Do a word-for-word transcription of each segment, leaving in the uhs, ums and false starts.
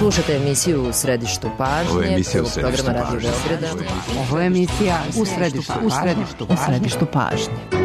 Slušate emisiju U središtu pažnje. Ovo je emisija U središtu pažnje. Ovo je emisija U središtu pažnje. U središtu pažnje.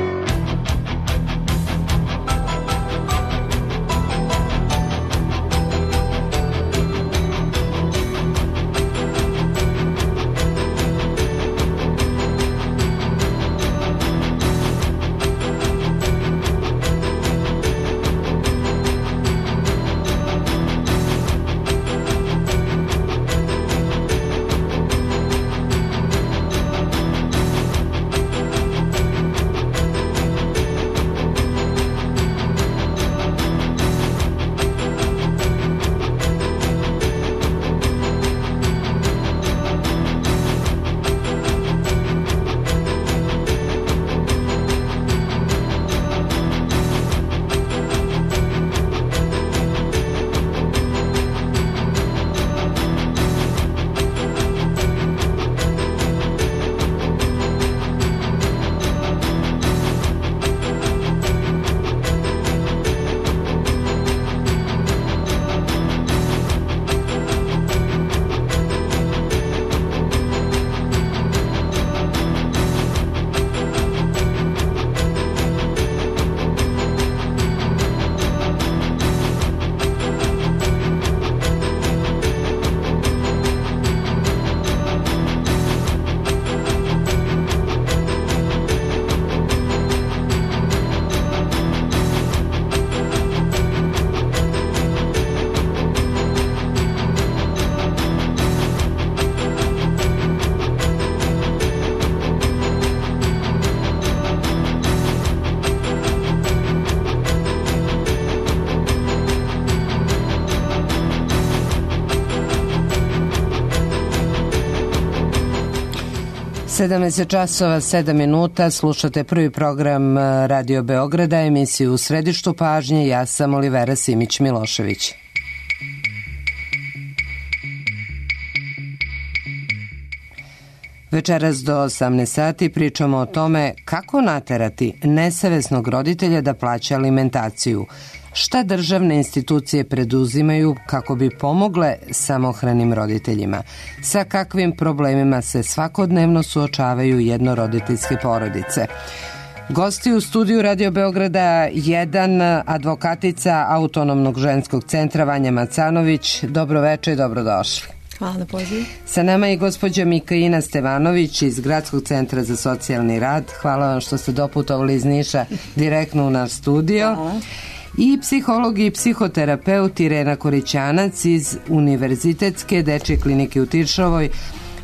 sedamnaest časova sedam minuta, slušate prvi program Radio Beograda, emisiju U središtu pažnje. Ja sam Olivera Simić-Milošević. Večeras do osamnaest sati pričamo o tome kako naterati nesavesnog roditelja da plaća alimentaciju, šta državne institucije preduzimaju kako bi pomogle samohranim roditeljima, sa kakvim problemima se svakodnevno suočavaju jednoroditeljske porodice. Gosti u studiju Radio Beograda jedan, advokatica Autonomnog ženskog centra Vanja Macanović. Dobro večer i dobrodošli. Hvala na pozivu. Sa nama je gospođa Mikaina Stevanović iz Gradskog centra za socijalni rad. Hvala vam što ste doputovali iz Niša direktno u naš studio. Hvala. I psiholog i psihoterapeut Irena Korićanac iz Univerzitetske dečje klinike u Tiršovoj.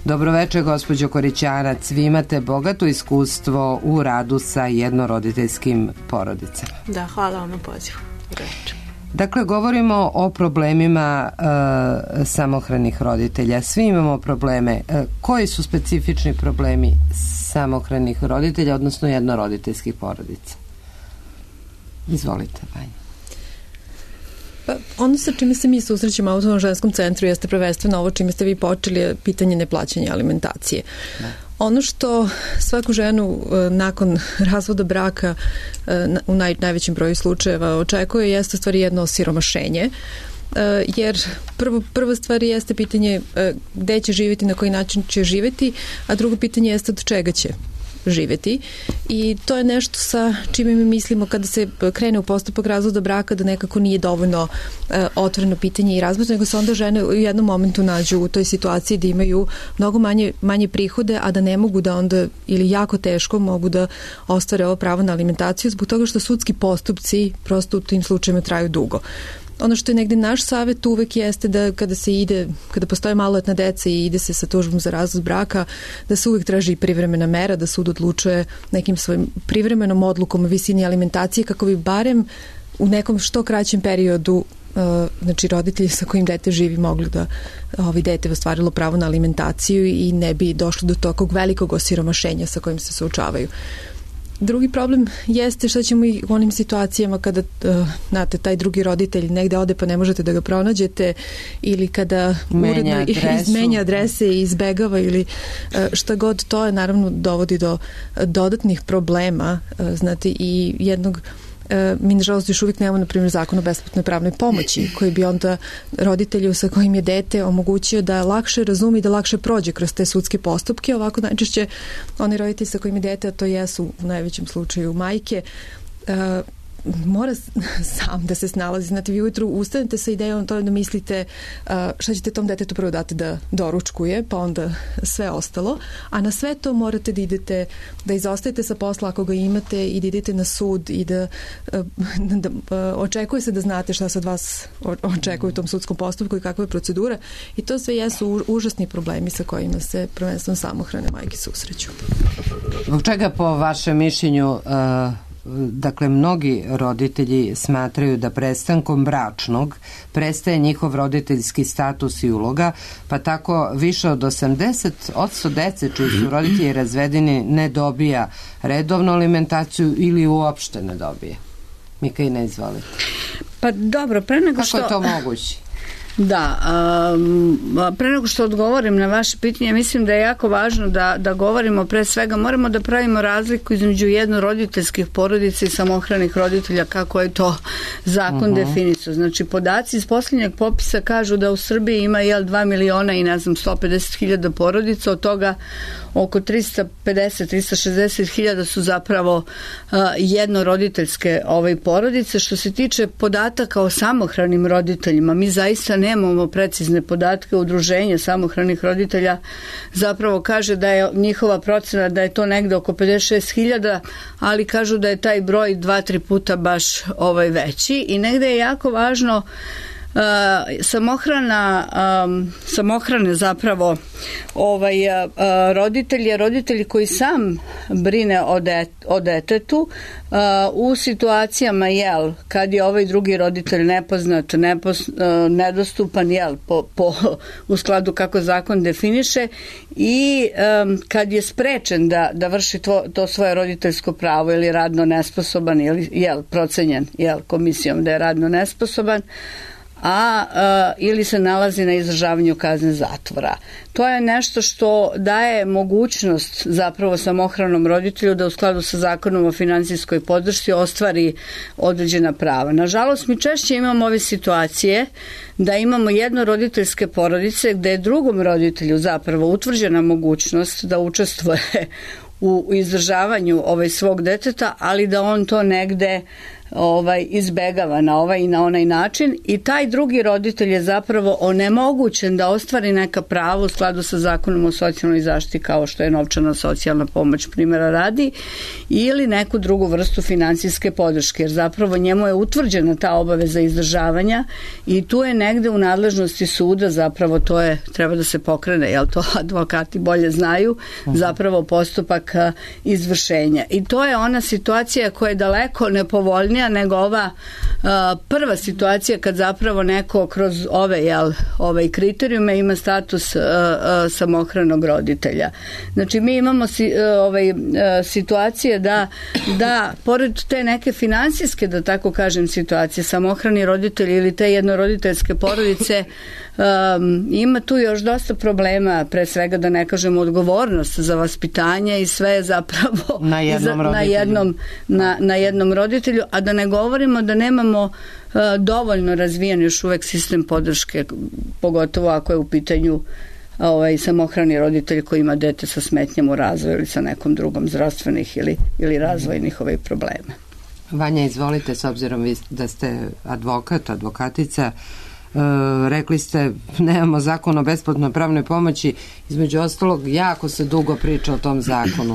Dobro večer, gospođo Korićanac. Vi imate bogato iskustvo u radu sa jednoroditeljskim porodicama. Da, hvala vam na pozivu. Reč. Dakle, govorimo o problemima e, samohranih roditelja. Svi imamo probleme. E, koji su specifični problemi samohranih roditelja, odnosno jednoroditeljskih porodica? Izvolite, Vanja. Pa, ono sa čime se mi susrećemo u Autonomnom ženskom centru jeste prvenstveno ovo čime ste vi počeli, je pitanje neplaćanja alimentacije. Da. Ono što svaku ženu nakon razvoda braka u naj, najvećem broju slučajeva očekuje jeste u stvari jedno osiromašenje, jer prvo, prva stvar jeste pitanje gde će živjeti, na koji način će živjeti, a drugo pitanje jeste od čega će živjeti i to je nešto sa čime mi mislimo kada se krene u postupak razvoda braka da nekako nije dovoljno e, otvoreno pitanje i razbor, nego se onda žene u jednom momentu nađu u toj situaciji da imaju mnogo manje, manje prihode, a da ne mogu da onda ili jako teško mogu da ostvare ovo pravo na alimentaciju zbog toga što sudski postupci prosto u tim slučajima traju dugo. Ono što je negde naš savjet uvek jeste da kada se ide, kada postoje maloletna deca i ide se sa tužbom za razvod braka, da se uvek traži privremena mera, da sud odlučuje nekim svojim privremenom odlukom o visini alimentacije kako bi barem u nekom što kraćem periodu znači roditelji sa kojim dete živi mogli da ovi dete ostvarilo pravo na alimentaciju i ne bi došlo do tokog velikog osiromašenja sa kojim se suočavaju. Drugi problem jeste što ćemo i u onim situacijama kada uh, znate, taj drugi roditelj negde ode pa ne možete da ga pronađete ili kada menja uredno izmenja adrese i izbegava ili uh, šta god, to je naravno dovodi do uh, dodatnih problema uh, znate, i jednog mi nažalost još uvijek nemamo, na primjer, zakon o besplatnoj pravnoj pomoći, koji bi onda roditelju sa kojim je dete omogućio da lakše razumi i da lakše prođe kroz te sudske postupke. Ovako najčešće oni roditelji sa kojim je dete, a to jesu u najvećem slučaju majke, mora sam da se snalazi. Znate, vi ujutru ustanete sa idejom to da mislite šta ćete tom detetu prvo dati da doručkuje, pa onda sve ostalo, a na sve to morate da idete, da izostajete sa posla ako ga imate i da idete na sud i da, da, da očekuje se da znate šta se od vas očekuje u tom sudskom postupku i kakva je procedura, i to sve jesu užasni problemi sa kojima se prvenstveno samohrane majke susreću. Zbog čega po vašem mišljenju uh... dakle, mnogi roditelji smatraju da prestankom bračnog prestaje njihov roditeljski status i uloga, pa tako više od osamdeset posto dece čiji su roditelji razvedeni ne dobija redovnu alimentaciju ili uopšte ne dobije. Mikaina, izvolite. Pa dobro, pre nego što... Kako je to moguće? Da, um, pre nego što odgovorim na vaše pitanje, mislim da je jako važno da, da govorimo, pre svega moramo da pravimo razliku između jednoroditeljskih porodica i samohranih roditelja, kako je to zakon uh-huh. definisao. Znači, podaci iz posljednjeg popisa kažu da u Srbiji ima jel, dva miliona i ne znam sto pedeset hiljada porodica, od toga oko trista pedeset do trista šezdeset hiljada su zapravo uh, jednoroditeljske ovaj, porodice. Što se tiče podataka o samohranim roditeljima, mi zaista nemamo precizne podatke. Udruženje samohranih roditelja zapravo kaže da je njihova procena da je to negde oko pedeset šest hiljada, ali kažu da je taj broj dva, tri puta baš ovaj veći, i negde je jako važno Uh, samohrana um, samohrane zapravo ovaj uh, roditelji roditelji koji sam brine o, det, o detetu uh, u situacijama jel kad je ovaj drugi roditelj nepoznat, nepos, uh, nedostupan jel po, po, u skladu kako zakon definiše, i um, kad je sprečen da, da vrši to, to svoje roditeljsko pravo ili radno nesposoban ili jel procenjen jel komisijom da je radno nesposoban, a uh, ili se nalazi na izdržavanju kazne zatvora. To je nešto što daje mogućnost zapravo samohranom roditelju da u skladu sa zakonom o finansijskoj podršci ostvari određena prava. Nažalost, mi češće imamo ove situacije da imamo jednoroditeljske porodice gde je drugom roditelju zapravo utvrđena mogućnost da učestvuje u izdržavanju ovaj svog deteta, ali da on to negde ovaj izbegava na ovaj i na onaj način, i taj drugi roditelj je zapravo onemogućen da ostvari neka prava u skladu sa zakonom o socijalnoj zaštiti, kao što je novčana socijalna pomoć, primjera radi, ili neku drugu vrstu finansijske podrške, jer zapravo njemu je utvrđena ta obaveza izdržavanja i tu je negde u nadležnosti suda, zapravo to je, treba da se pokrene, jel to advokati bolje znaju, zapravo postupak izvršenja. I to je ona situacija koja je daleko nepovoljnija nego ova uh, prva situacija kad zapravo neko kroz ove jel, ovaj kriterijume ima status uh, uh, samohranog roditelja. Znači mi imamo si, uh, ovaj, uh, situacije da, da pored te neke finansijske, da tako kažem, situacije, samohrani roditelji ili te jednoroditeljske porodice, Um, ima tu još dosta problema, pre svega da ne kažem odgovornost za vaspitanje i sve je zapravo na jednom, za, na jednom, na, na jednom roditelju, a da ne govorimo da nemamo uh, dovoljno razvijen još uvek sistem podrške, pogotovo ako je u pitanju ovaj, samohrani roditelj koji ima dete sa smetnjama u razvoju ili sa nekom drugom zdravstvenih ili, ili razvojnih ovaj problema. Vanja, izvolite, s obzirom vi da ste advokat, advokatica, Uh, rekli ste nemamo zakon o besplatnoj pravnoj pomoći, između ostalog jako se dugo priča o tom zakonu.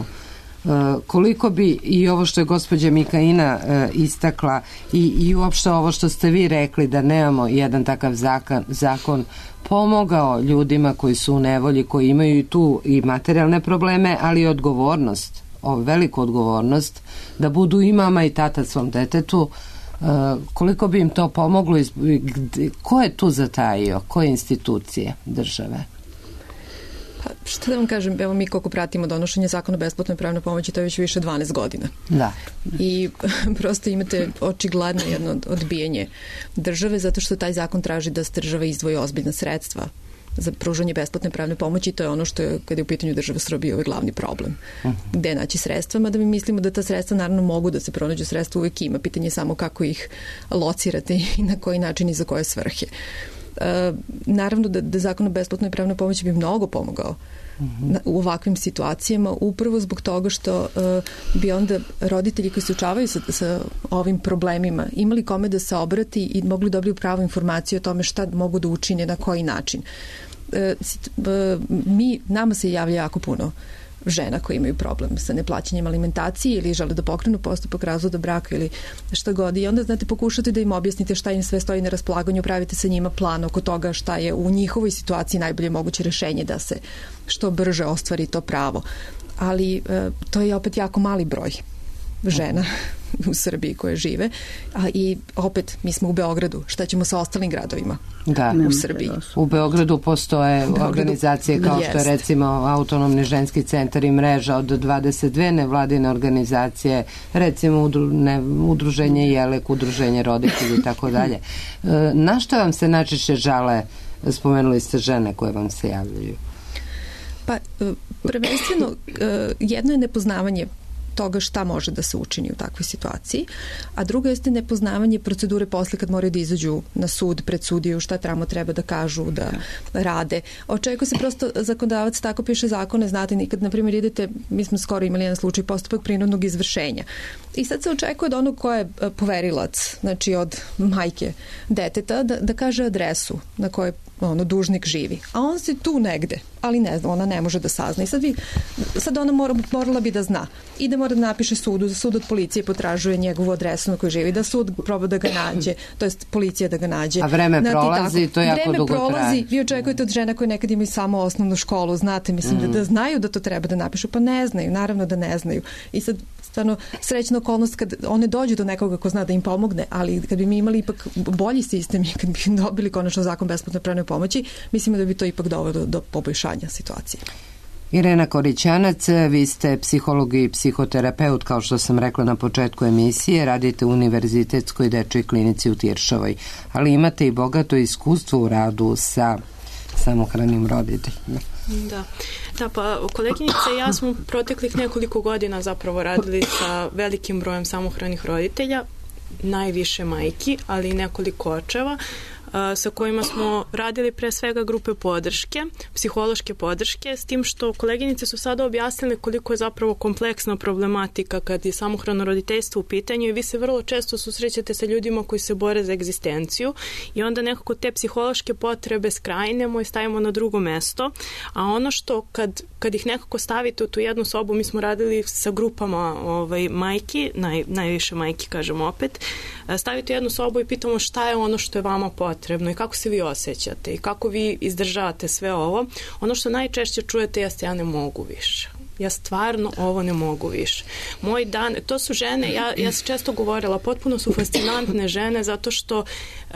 Uh, koliko bi i ovo što je gospođa Mikaina uh, istakla i, i uopšte ovo što ste vi rekli da nemamo jedan takav zakon, zakon pomogao ljudima koji su u nevolji, koji imaju i tu i materijalne probleme, ali i odgovornost, o, veliku odgovornost da budu i mama i tata svom detetu. Uh, koliko bi im to pomoglo, ko je tu zatajio, koje institucije države? Pa, što da vam kažem, evo mi koliko pratimo donošenje zakona o besplatnoj pravnoj pomoći, to je već više dvanaest godina. Da. I prosto imate očigledno jedno odbijanje države, zato što taj zakon traži da se država izdvoji ozbiljna sredstva za pružanje besplatne pravne pomoći. To je ono što je, kada je u pitanju država Srbije, ovaj glavni problem. Uh-huh. Gde naći sredstva, mada mi mislimo da ta sredstva naravno mogu da se pronađu, sredstva uvek ima. Pitanje je samo kako ih locirate i na koji način i za koje svrhe. E, naravno da, da zakon o besplatnoj pravnoj pomoći bi mnogo pomogao uh-huh. na, u ovakvim situacijama, upravo zbog toga što e, bi onda roditelji koji se suočavaju sa, sa ovim problemima imali kome da se obrati i mogli dobiti pravu informaciju o tome šta mogu da učine, na koji način. E, mi, nama se javlja jako puno žena koji imaju problem sa neplaćanjem alimentacije ili žele da pokrenu postupak razvoda braka ili šta god. I onda, znate, pokušate da im objasnite šta im sve stoji na raspolaganju, pravite sa njima plan oko toga šta je u njihovoj situaciji najbolje moguće rešenje da se što brže ostvari to pravo. Ali e, to je opet jako mali broj žena u Srbiji koje žive, a i opet mi smo u Beogradu, šta ćemo sa ostalim gradovima da, u Srbiji? U Beogradu postoje Beogradu, organizacije kao jest. Što je recimo Autonomni ženski centar i mreža od dvadeset dve nevladine organizacije, recimo udru, ne, udruženje Jelek, udruženje roditelji i tako dalje. Na što vam se najčešće žale, spomenuli ste žene koje vam se javljaju? Pa prvenstveno jedno je nepoznavanje toga šta može da se učini u takvoj situaciji, a drugo jeste nepoznavanje procedure posle kad moraju da izađu na sud, pred sudiju, šta tamo treba da kažu, da rade. Očekuje se prosto zakonodavac tako piše zakone, znate, nikad, na primjer, idete, mi smo skoro imali jedan slučaj postupak prinudnog izvršenja. I sad se očekuje od onog ko je poverilac, znači od majke deteta, da, da kaže adresu na kojoj ono, dužnik živi. A on se tu negde, ali ne zna, ona ne može da sazna. I sad, vi, sad ona mora, morala bi da zna. I da mora da napiše sudu, da sud od policije potražuje njegovu adresu na kojoj živi, da sud proba da ga nađe, to jest policija da ga nađe. A vreme znate, prolazi, tako, to jako vreme dugo prolazi, traje. Vi očekujete od žena koje nekad imaju samo osnovnu školu, znate, mislim, mm. da, da znaju da to treba da napišu, pa ne znaju, naravno da ne znaju. I sad, stvarno, srećna okolnost kad one dođu do nekoga ko zna da im pomogne, ali kad bi mi imali ipak bolji sistem i kad bi dobili konačno zakon besplatne pravne pomoći, mislimo da bi to ipak dovelo do, do poboljšanja situacije. Irena Korićanac, vi ste psiholog i psihoterapeut, kao što sam rekla na početku emisije, radite u Univerzitetskoj dečjoj klinici u Tiršovoj, ali imate i bogato iskustvo u radu sa samohranim roditeljima. Da. Da, pa koleginica i ja smo proteklih nekoliko godina zapravo radili sa velikim brojem samohranih roditelja, najviše majki, ali i nekoliko očeva, sa kojima smo radili pre svega grupe podrške, psihološke podrške, s tim što koleginice su sada objasnile koliko je zapravo kompleksna problematika kad je samohrano roditeljstvo u pitanju i vi se vrlo često susrećete sa ljudima koji se bore za egzistenciju i onda nekako te psihološke potrebe skrajnemo i stavimo na drugo mesto, a ono što kad, kad ih nekako stavite u tu jednu sobu, mi smo radili sa grupama ovaj, majki, naj, najviše majki kažemo opet, stavite u jednu sobu i pitamo šta je ono što je vama potrebno i kako se vi osjećate i kako vi izdržavate sve ovo. Ono što najčešće čujete jeste ja ne mogu više. Ja stvarno ovo ne mogu više. Moj dan, to su žene, ja, ja sam često govorila, potpuno su fascinantne žene zato što uh,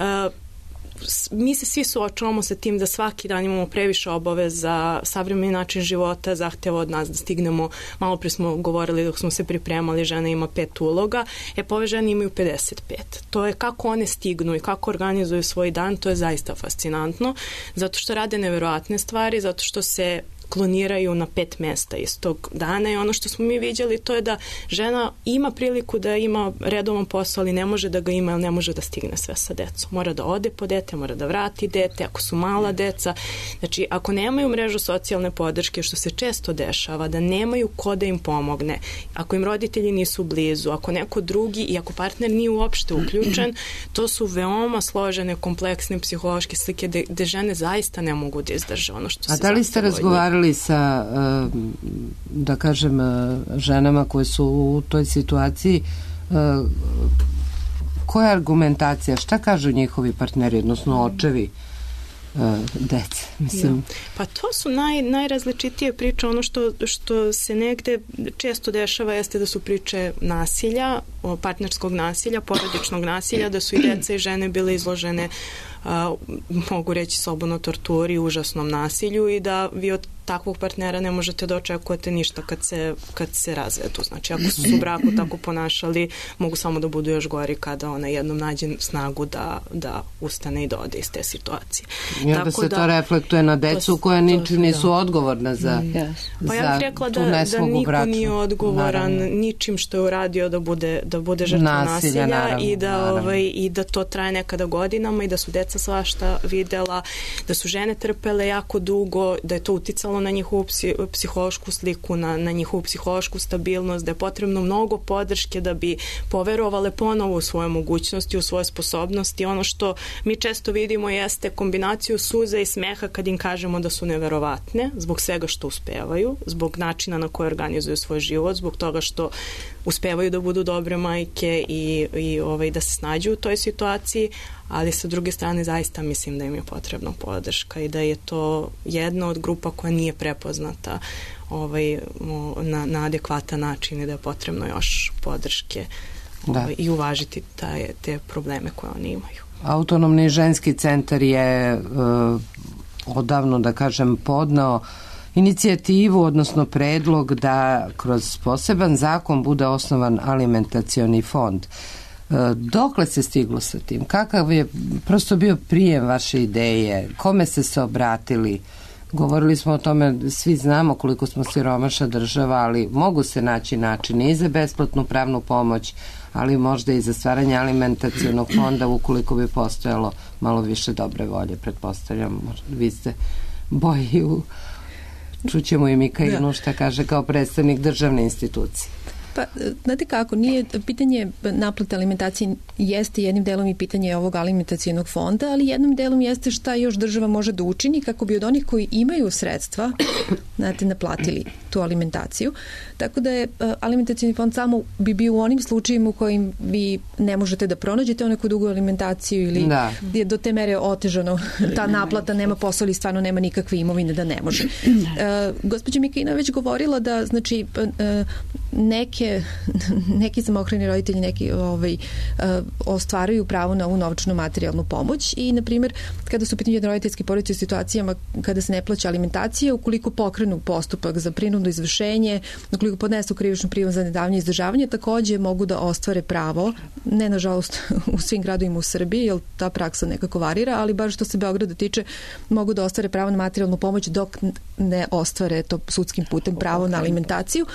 mi se svi suočavamo sa tim da svaki dan imamo previše obaveza, savremeni način života zahteva od nas da stignemo, malo pre smo govorili dok smo se pripremali, žena ima pet uloga, e pa ove žene imaju pedeset pet. To je kako one stignu i kako organizuju svoj dan, to je zaista fascinantno, zato što rade neverovatne stvari, zato što se kloniraju na pet mesta istog dana i ono što smo mi vidjeli to je da žena ima priliku da ima redovan posao, ali ne može da ga ima, ne može da stigne sve sa decom. Mora da ode po dete, mora da vrati dete, ako su mala deca. Znači, ako nemaju mrežu socijalne podrške, što se često dešava, da nemaju ko da im pomogne, ako im roditelji nisu blizu, ako neko drugi i ako partner nije uopšte uključen, to su veoma složene, kompleksne psihološke slike gde, gde žene zaista ne mogu da izdrže ono što se zahteva. A da li ste razgovarali sa, da kažem, ženama koje su u toj situaciji, koja je argumentacija, šta kažu njihovi partneri, odnosno očevi dece, mislim. Da. Pa to su naj, najrazličitije priče, ono što, što se negde često dešava jeste da su priče nasilja, partnerskog nasilja, porodičnog nasilja, da su i deca i žene bile izložene, a, mogu reći slobodno, torturi, užasnom nasilju i da vi od takvog partnera ne možete da očekujete ništa kad se, kad se razvedu. Znači, ako su se u braku tako ponašali, mogu samo da budu još gori kada ona jednom nađe snagu da, da ustane i da ode iz te situacije. I onda tako se da, to reflektuje na decu koja ničim nisu da. odgovorna za, mm. za pa ja bih rekla tu da, nesmogu da niko bračnu. nije odgovoran Naravno. ničim što je uradio da bude, da bude žrtva nasilja, nasilja naravno, i, da, naravno. ovaj, i da to traje nekada godinama i da su deca svašta videla, da su žene trpele jako dugo, da je to uticalo na njihovu psi, psihološku sliku, na, na njihovu psihološku stabilnost, da je potrebno mnogo podrške da bi poverovale ponovo u svoje mogućnosti, u svoje sposobnosti. Ono što mi često vidimo jeste kombinaciju suze i smeha kad im kažemo da su neverovatne zbog svega što uspevaju, zbog načina na koji organizuju svoj život, zbog toga što uspevaju da budu dobre majke i, i ovaj, da se snađu u toj situaciji, ali sa druge strane zaista mislim da im je potrebna podrška i da je to jedna od grupa koja nije prepoznata ovaj, na, na adekvatan način i da je potrebno još podrške ovaj, i uvažiti taj, te probleme koje oni imaju. Autonomni ženski centar je uh, odavno, da kažem, podneo inicijativu, odnosno predlog da kroz poseban zakon bude osnovan alimentacioni fond. Dokle se stiglo sa tim? Kakav je prosto bio prijem vaše ideje? Kome ste se obratili? Govorili smo o tome, svi znamo koliko smo siromašna država, ali mogu se naći načini i za besplatnu pravnu pomoć, ali možda i za stvaranje alimentacionog fonda ukoliko bi postojalo malo više dobre volje, pretpostavljam. Vi ste boji u... Čućemo i Mikainu šta kaže kao predstavnik državne institucije. Pa, znate kako, nije, pitanje naplate alimentacije jeste jednim delom i pitanje ovog alimentacijenog fonda, ali jednim delom jeste šta još država može da učini kako bi od onih koji imaju sredstva, znate, naplatili tu alimentaciju. Tako da je alimentacijeni fond samo bi bio u onim slučajima u kojim vi ne možete da pronađete neku dugu alimentaciju ili da. Je do te mere otežano ta naplata, nema posla ili stvarno nema nikakve imovine da ne može. Uh, gospođa Mikaina već govorila da, znači, uh, neke neki samohrani roditelji neki ovaj, uh, ostvaruju pravo na ovu novčanu materijalnu pomoć i, na primjer, kada su u pitanju roditeljske porodice u situacijama kada se ne plaća alimentacija, ukoliko pokrenu postupak za prinudno izvršenje, ukoliko podnesu krivičnu prijavu za nedavanje izdržavanje, takođe mogu da ostvare pravo, ne nažalost u svim gradovima u Srbiji, jer ta praksa nekako varira, ali baš što se Beograda tiče, mogu da ostvare pravo na materijalnu pomoć dok ne ostvare to sudskim putem pravo na alimentaciju.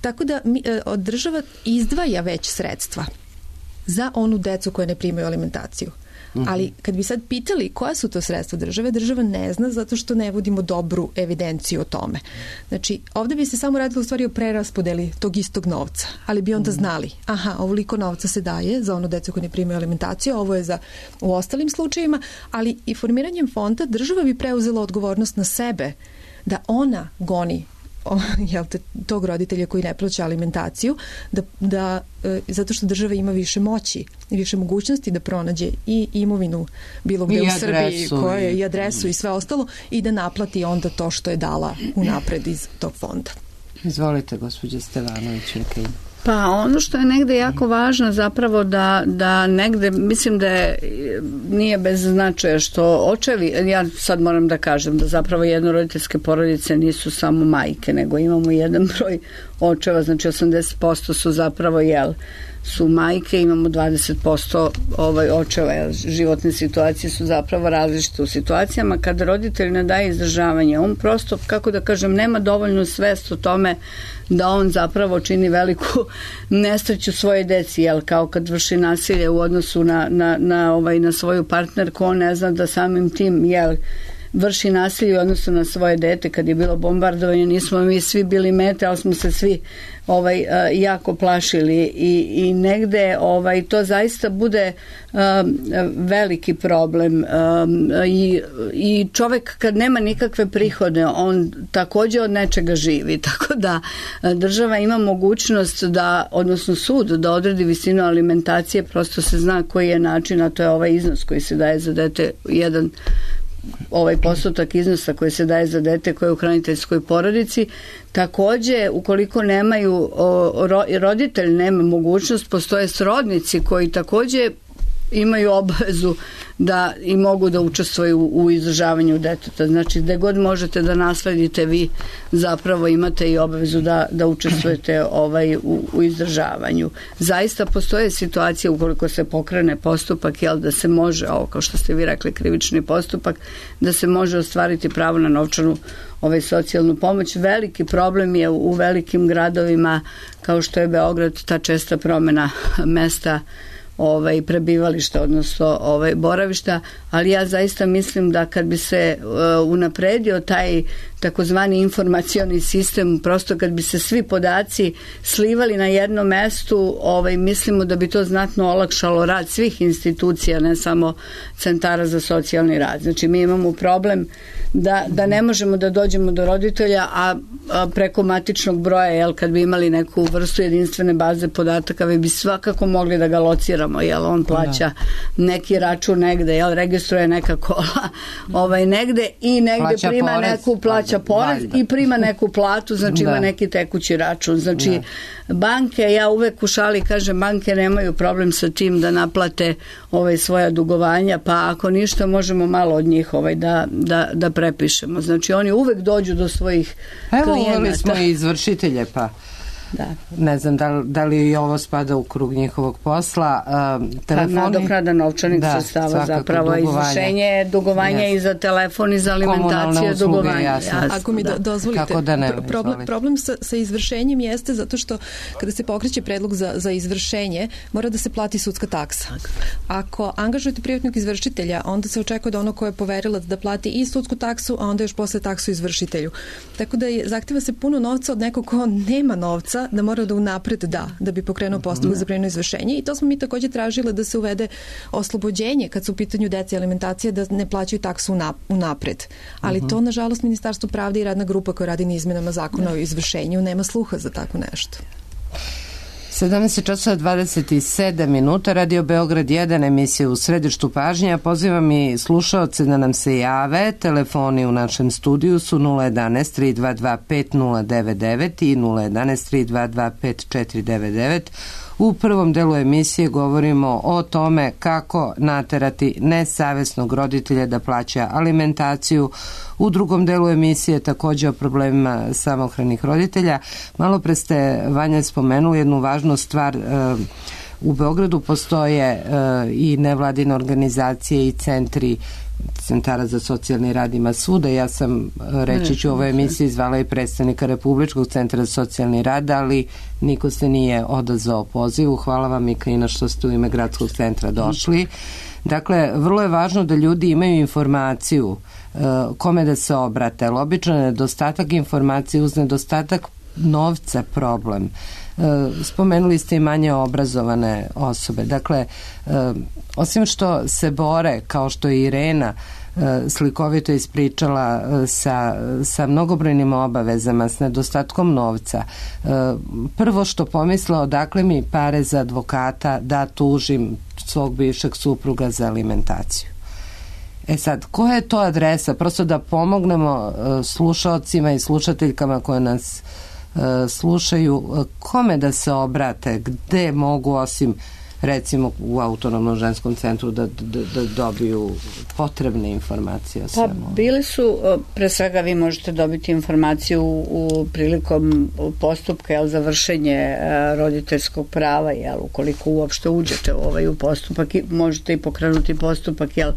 Tako da mi, država izdvaja već sredstva za onu decu koje ne primaju alimentaciju. Ali kad bi sad pitali koja su to sredstva države, država ne zna zato što ne vodimo dobru evidenciju o tome. Znači, ovde bi se samo radilo u stvari o preraspodeli tog istog novca, ali bi onda znali, aha, ovoliko novca se daje za ono decu koje ne primaju alimentaciju, ovo je za u ostalim slučajevima, ali i formiranjem fonda država bi preuzela odgovornost na sebe da ona goni jel te, tog roditelja koji ne plaća alimentaciju, da, da e, zato što država ima više moći i više mogućnosti da pronađe i imovinu bilo gde u Srbiji koja je, i adresu i sve ostalo i da naplati onda to što je dala unapred iz tog fonda. Izvolite, gospođa Stevanović-Mikaina. Pa ono što je negde jako važno zapravo da, da negde, mislim da je, nije bez značaja što očevi, ja sad moram da kažem da zapravo jednoroditeljske porodice nisu samo majke, nego imamo jedan broj očeva, znači osamdeset posto su zapravo, jel, su majke, imamo dvadeset posto ovaj, očeva, jel, životne situacije su zapravo različite u situacijama kada roditelj ne daje izdržavanje, on prosto, kako da kažem, nema dovoljnu svest o tome da on zapravo čini veliku nesreću svoje deci, jel, kao kad vrši nasilje u odnosu na, na, na, ovaj, na svoju partnerku, on ne zna da samim tim, jel, vrši nasilje u odnosu na svoje dete. Kad je bilo bombardovanje, nismo mi svi bili mete, ali smo se svi ovaj, jako plašili i, i negde ovaj, to zaista bude um, veliki problem um, i, i čovek kad nema nikakve prihode, on takođe od nečega živi, tako da država ima mogućnost da, odnosno sud, da odredi visinu alimentacije, prosto se zna koji je način, a to je ovaj iznos koji se daje za dete, jedan ovaj postotak iznosa koji se daje za dete koje je u hraniteljskoj porodici. Takođe, ukoliko nemaju, o, ro, roditelj nema mogućnost, postoje srodnici koji takođe imaju obavezu da i mogu da učestvuju u, u izdržavanju deteta. Znači, gde god možete da nasledite, vi zapravo imate i obavezu da, da učestvujete ovaj, u, u izdržavanju. Zaista postoje situacije ukoliko se pokrene postupak, jel, da se može, ovo kao što ste vi rekli, krivični postupak, da se može ostvariti pravo na novčanu ovaj, socijalnu pomoć. Veliki problem je u, u velikim gradovima kao što je Beograd, ta česta promena mesta ovaj prebivališta, odnosno ovaj boravišta, ali ja zaista mislim da kad bi se uh, unapredio taj takozvani informacioni sistem, prosto kad bi se svi podaci slivali na jednom mestu, ovaj mislimo da bi to znatno olakšalo rad svih institucija, ne samo centara za socijalni rad. Znači mi imamo problem da, da ne možemo da dođemo do roditelja, a, a preko matičnog broja, jel, kad bi imali neku vrstu jedinstvene baze podataka, vi bi svakako mogli da ga lociramo, jel, on plaća neki račun negde, jel, registruje neka kola ovaj, negde i negde plaća prima porez, neku plaća porez i prima neku platu, znači da. Ima neki tekući račun. Znači da. Banke, ja uvek u šali kažem, banke nemaju problem sa tim da naplate ovaj, svoja dugovanja, pa ako ništa možemo malo od njih ovaj, da, da, da prepišemo. Znači oni uvek dođu do svojih Evo, klijenata. Evo uveli smo i izvršitelje, pa da. Ne znam da li, da li i ovo spada u krug njihovog posla. Uh, telefoni, pa nadoknada novčanih da, sredstava zapravo izvršenje dugovanja yes. i za telefon i za alimentaciju dugovanja. Jasno. Jasno, Ako mi da. dozvolite, da ne, problem, problem sa, sa izvršenjem jeste zato što kada se pokreće predlog za, za izvršenje, mora da se plati sudska taksa. Ako angažujete privatnog izvršitelja, onda se očekuje da ono ko je poverilac da plati i sudsku taksu, a onda još posle taksu izvršitelju. Tako da je, zahteva se puno novca od nekog ko nema novca, da mora da unapred da, da bi pokrenuo postupak za prinudno izvršenje, i to smo mi takođe tražile da se uvede oslobođenje kad su u pitanju deca i alimentacije, da ne plaćaju taksu unapred. Ali uh-huh. to, nažalost, Ministarstvo pravde i radna grupa koja radi na izmenama zakona o izvršenju nema sluha za tako nešto. sedamnaest časova dvadeset sedam minuta, Radio Beograd jedan, emisija U središtu pažnje. Ja pozivam i slušaoce da nam se jave. Telefoni u našem studiju su nula jedanaest tri dva dva pet nula devet devet i nula jedanaest tri dva dva pet četiri devet devet. U prvom delu emisije govorimo o tome kako naterati nesavesnog roditelja da plaća alimentaciju. U drugom delu emisije takođe o problemima samohranih roditelja. Malo pre ste, Vanja, spomenuli jednu važnu stvar. U Beogradu postoje i nevladine organizacije i centri centara za socijalni rad, ima svuda. Ja sam, reći ću, u ovoj emisiji zvala i predstavnika Republičkog centra za socijalni rad, ali niko se nije odazvao pozivu. Hvala vam, Mikaina, što ste u ime Gradskog centra došli. Dakle, vrlo je važno da ljudi imaju informaciju uh, kome da se obrate, ali obično je nedostatak informacije uz nedostatak novca problem. Spomenuli ste i manje obrazovane osobe. Dakle, osim što se bore, kao što je Irena slikovito ispričala, sa, sa mnogobrojnim obavezama, s nedostatkom novca, prvo što pomisla, odakle mi pare za advokata da tužim svog bivšeg supruga za alimentaciju. E sad, koja je to adresa? Prosto da pomognemo slušaocima i slušateljkama koje nas slušaju, kome da se obrate, gde mogu, osim recimo u Autonomnom ženskom centru, da, da, da dobiju potrebne informacije o svemu? Pa bili su, pre svega vi možete dobiti informaciju u, u prilikom postupka, jel, za vršenje roditeljskog prava, jel, ukoliko uopšte uđete u ovaj u postupak, i možete i pokrenuti postupak, jel,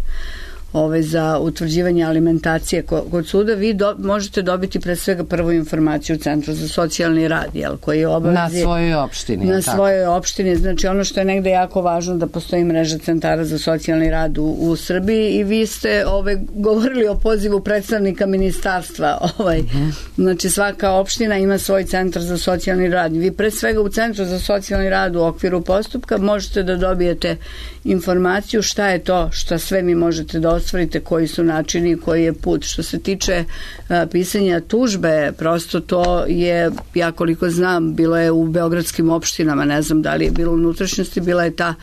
Ove, za utvrđivanje alimentacije kod suda, vi do, možete dobiti pre svega prvu informaciju u Centru za socijalni rad, jel, koji je obavezi na svojoj opštini. Na tako. svojoj opštini. Znači ono što je negde jako važno, da postoji mreža centara za socijalni rad u, u Srbiji, i vi ste ove, govorili o pozivu predstavnika ministarstva. Ovaj. Uh-huh. Znači svaka opština ima svoj centar za socijalni rad. Vi pre svega u Centru za socijalni rad u okviru postupka možete da dobijete informaciju šta je to, šta sve mi možete da ostvarite, koji su načini, koji je put. Što se tiče a, pisanja tužbe, prosto to je, ja koliko znam, bilo je u beogradskim opštinama, ne znam da li je bilo u unutrašnjosti, bila je ta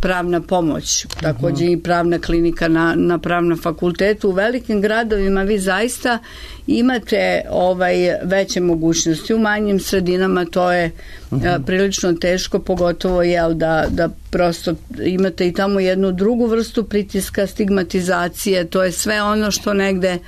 pravna pomoć, također i pravna klinika na, na pravnom fakultetu. U velikim gradovima vi zaista imate ovaj veće mogućnosti. U manjim sredinama to je uh-huh. prilično teško, pogotovo jel da, da prosto imate i tamo jednu drugu vrstu pritiska, stigmatizacije, to je sve ono što negde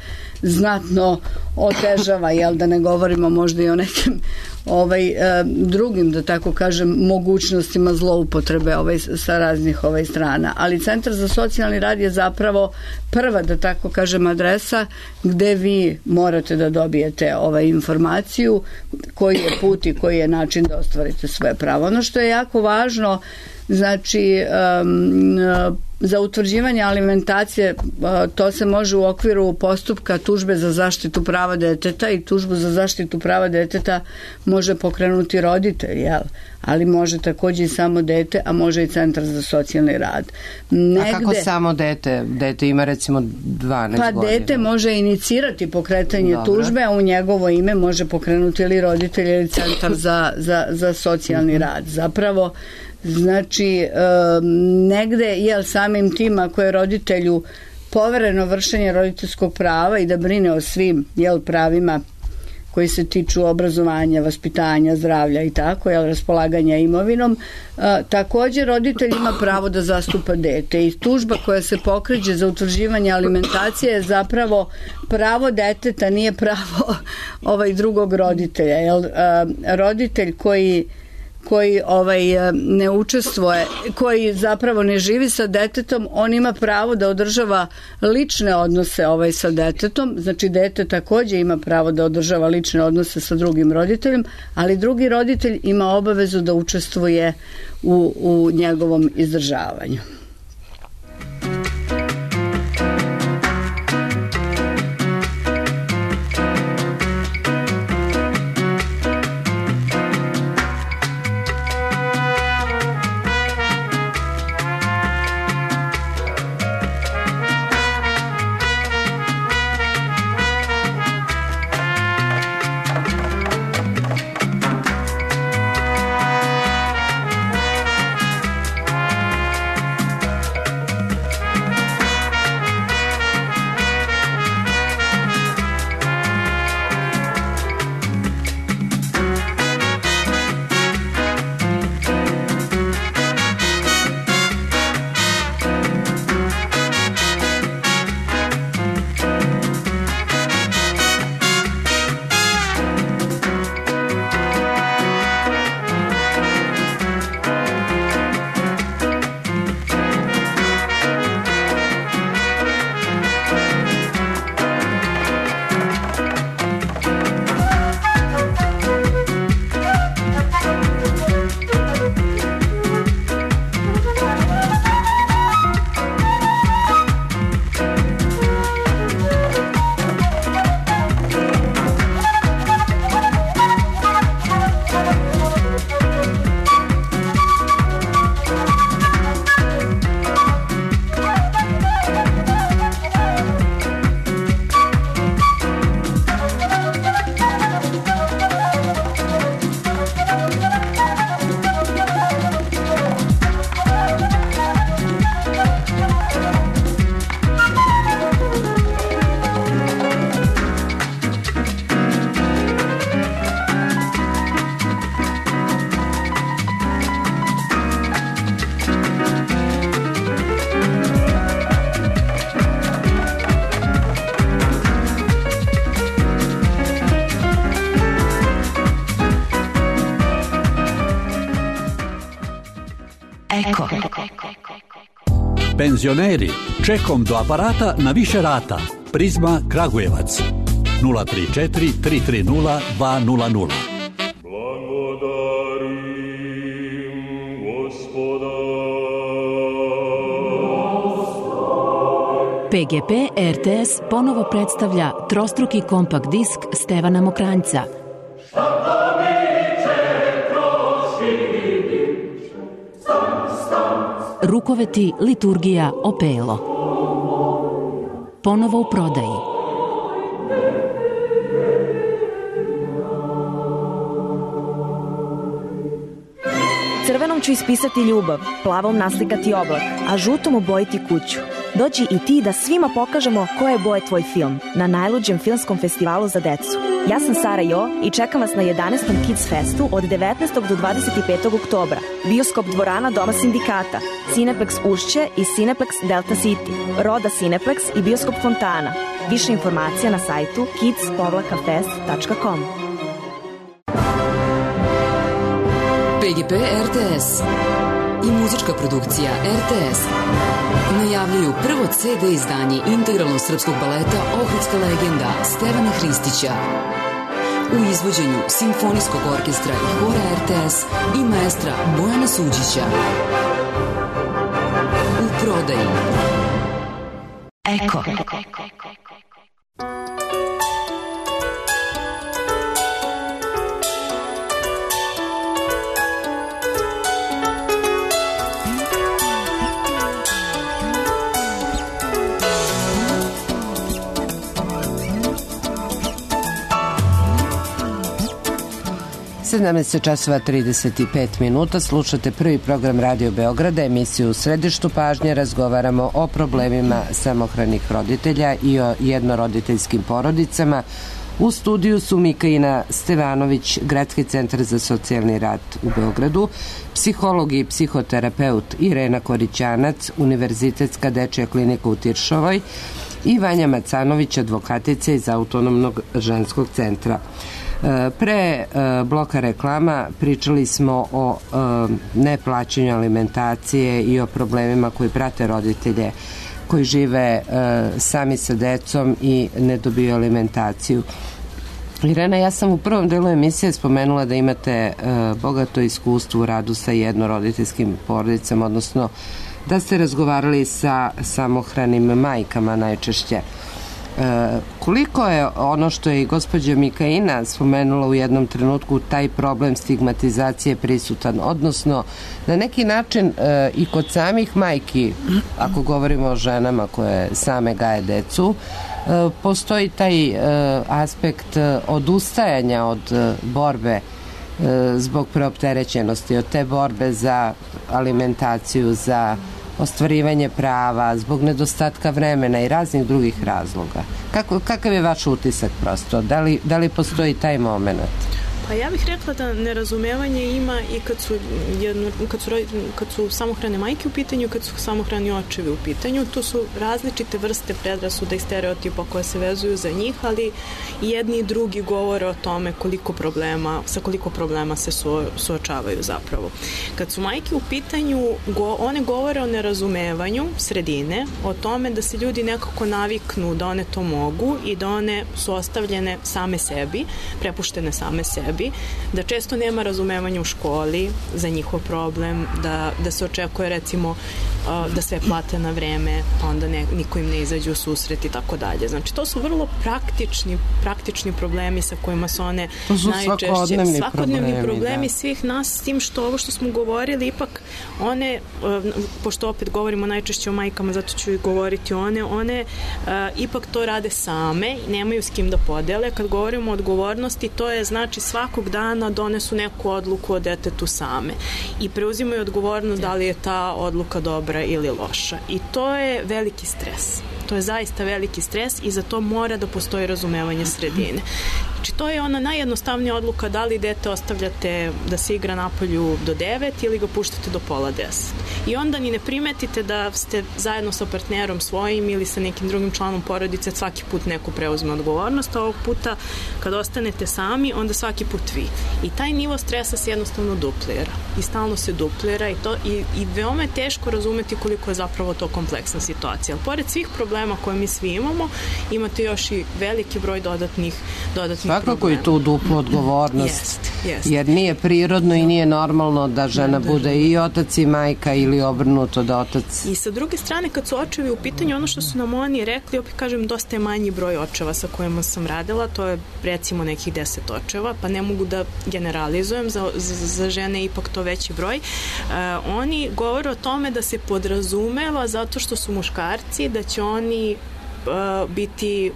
znatno otežava, jel da ne govorimo možda i o nekim ovaj, e, drugim, da tako kažem, mogućnostima zloupotrebe ovaj, sa raznih ovaj, strana. Ali Centar za socijalni rad je zapravo prva, da tako kažem, adresa gde vi morate da dobijete ovaj, informaciju koji je put i koji je način da ostvarite svoje pravo. Ono što je jako važno, znači um, za utvrđivanje alimentacije, to se može u okviru postupka tužbe za zaštitu prava deteta, i tužbu za zaštitu prava deteta može pokrenuti roditelj, jel? Ali može također i samo dete, a može i Centar za socijalni rad. Negde, a kako samo dete? Dete ima recimo dvanaest pa godina. Pa dete može inicirati pokretanje Dobro. tužbe, a u njegovo ime može pokrenuti ili roditelj ili Centar za, za, za socijalni mm-hmm. rad. Zapravo, znači, negde, jel, samim tim ako je roditelju povereno vršenje roditeljskog prava i da brine o svim, jel, pravima koji se tiču obrazovanja, vaspitanja, zdravlja i tako, jel, raspolaganja imovinom, a, također roditelj ima pravo da zastupa dete, i tužba koja se pokreće za utvrđivanje alimentacije je zapravo pravo deteta, nije pravo ovaj drugog roditelja, jel, a, roditelj koji koji ovaj ne učestvuje, koji zapravo ne živi sa detetom, on ima pravo da održava lične odnose ovaj sa detetom, znači dete također ima pravo da održava lične odnose sa drugim roditeljem, ali drugi roditelj ima obavezu da učestvuje u, u njegovom izdržavanju. Eko. Penzioneri, čekom do aparata na više rata. Prizma Kragujevac nula tri četiri tri tri nula dva nula nula. P G P R T S ponovo predstavlja trostruki kompakt disk Stevana Mokranjca. Rukoveti, liturgija, opelo. Ponovo u prodaji. Crvenom ću ispisati ljubav, plavom naslikati oblak, a žutom obojiti kuću. Dođi i ti da svima pokažemo koje je boje tvoj film na najluđem filmskom festivalu za decu. Ja sam Sara Jo i čekam vas na jedanaestom Kids Festu od devetnaestog do dvadeset petog oktobra. Bioskop dvorana Doma sindikata, Cineplex Ušće i Cineplex Delta City, Roda Cineplex i Bioskop Fontana. Više informacija na sajtu kids fest tačka com. P G P R T S i muzička produkcija R T S najavljuju prvo C D izdanje integralnog srpskog baleta Ohridska legenda Stevana Hristića u izvođenju Simfonijskog orkestra i hora R T S i maestra Bojana Suđića. U prodaji Eko. sedamnaest časova trideset pet minuta, slušate prvi program Radio Beograda, emisiju U središtu pažnje. Razgovaramo o problemima samohranih roditelja i o jednoroditeljskim porodicama. U studiju su Mikaina Stevanović, Gradski centar za socijalni rad u Beogradu, psiholog i psihoterapeut Irena Korićanac, Univerzitetska dečja klinika u Tiršovoj i Vanja Macanović, advokatica iz Autonomnog ženskog centra. Pre bloka reklama pričali smo o neplaćanju alimentacije i o problemima koji prate roditelje koji žive sami sa decom i ne dobiju alimentaciju. Irena, ja sam u prvom delu emisije spomenula da imate bogato iskustvo u radu sa jednoroditeljskim porodicama, odnosno da ste razgovarali sa samohranim majkama najčešće. E, koliko je ono što je i gospođa Mikaina spomenula u jednom trenutku, taj problem stigmatizacije prisutan, odnosno na neki način e, i kod samih majki, ako govorimo o ženama koje same gaje decu, e, postoji taj e, aspekt odustajanja od e, borbe e, zbog preopterećenosti, od te borbe za alimentaciju, za ostvarivanje prava, zbog nedostatka vremena i raznih drugih razloga. Kako, kakav je vaš utisak prosto? Da li, da li postoji taj moment? Pa ja bih rekla da nerazumevanje ima i kad su, jedno, kad su, kad su samohrane majke u pitanju, kad su samohrani očevi u pitanju. Tu su različite vrste predrasuda i stereotipa koje se vezuju za njih, ali i jedni i drugi govore o tome koliko problema, sa koliko problema se su, suočavaju zapravo. Kad su majke u pitanju, go, one govore o nerazumevanju sredine, o tome da se ljudi nekako naviknu da one to mogu i da one su ostavljene same sebi, prepuštene same sebi, da često nema razumevanja u školi za njihov problem, da, da se očekuje recimo da sve plate na vreme, pa onda ne, niko im ne izađe u susret i tako dalje. Znači, to su vrlo praktični, praktični problemi sa kojima su one su najčešće svakodnevni, svakodnevni problemi, problemi da. svih nas, s tim što ovo što smo govorili, ipak one, pošto opet govorimo najčešće o majkama, zato ću i govoriti one, one uh, ipak to rade same, nemaju s kim da podele. Kad govorimo o odgovornosti, to je znači svakog dana donesu neku odluku o detetu same i preuzimaju odgovornost da li je ta odluka dobra ili loša. I to je veliki stres. To je zaista veliki stres i za to mora da postoji razumevanje sredine. Znači, to je ona najjednostavnija odluka da li dete ostavljate da se igra napolju do devet ili ga puštate do pola deset. I onda ni ne primetite da ste zajedno sa partnerom svojim ili sa nekim drugim članom porodice svaki put neko preuzme odgovornost, a ovog puta kad ostanete sami, onda svaki put vi. I taj nivo stresa se jednostavno duplira. I stalno se duplira i, to, i, i veoma je teško razumeti koliko je zapravo to kompleksna situacija. Ali pored svih problema koje mi svi imamo, imate još i veliki broj dodatnih, dodatnih Svakako problema. I tu duplu odgovornost, jest, jest. jer nije prirodno i nije normalno da žena da, bude i otac i majka ili obrnuto da otac. I sa druge strane, kad su očevi u pitanju, ono što su nam oni rekli, opet kažem, dosta je manji broj očeva sa kojima sam radila, to je recimo nekih deset očeva, pa ne mogu da generalizujem, za, za, za žene ipak to veći broj. Uh, oni govore o tome da se podrazumeva zato što su muškarci, da će oni biti,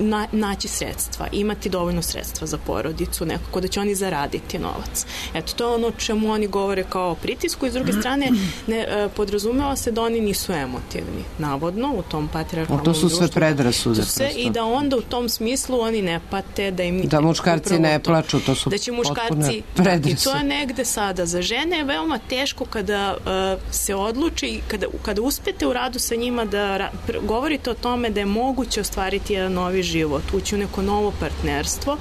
na, naći sredstva, imati dovoljno sredstva za porodicu, nekako da će oni zaraditi novac. Eto, to je ono čemu oni govore kao pritisku i s druge strane ne, podrazumeva se da oni nisu emotivni, navodno, u tom patrijarhalnom društvu. To su sve predrasude. Sve, i da onda u tom smislu oni ne pate, da im... Da muškarci ne to, plaču, to su da će muškarci, predrasude. I to je negde sada. Za žene je veoma teško kada uh, se odluči, kada, kada uspete u radu sa njima da ra, pr, govorite o tome da je moguće ostvariti jedan novi život, ući u neko novo partnerstvo,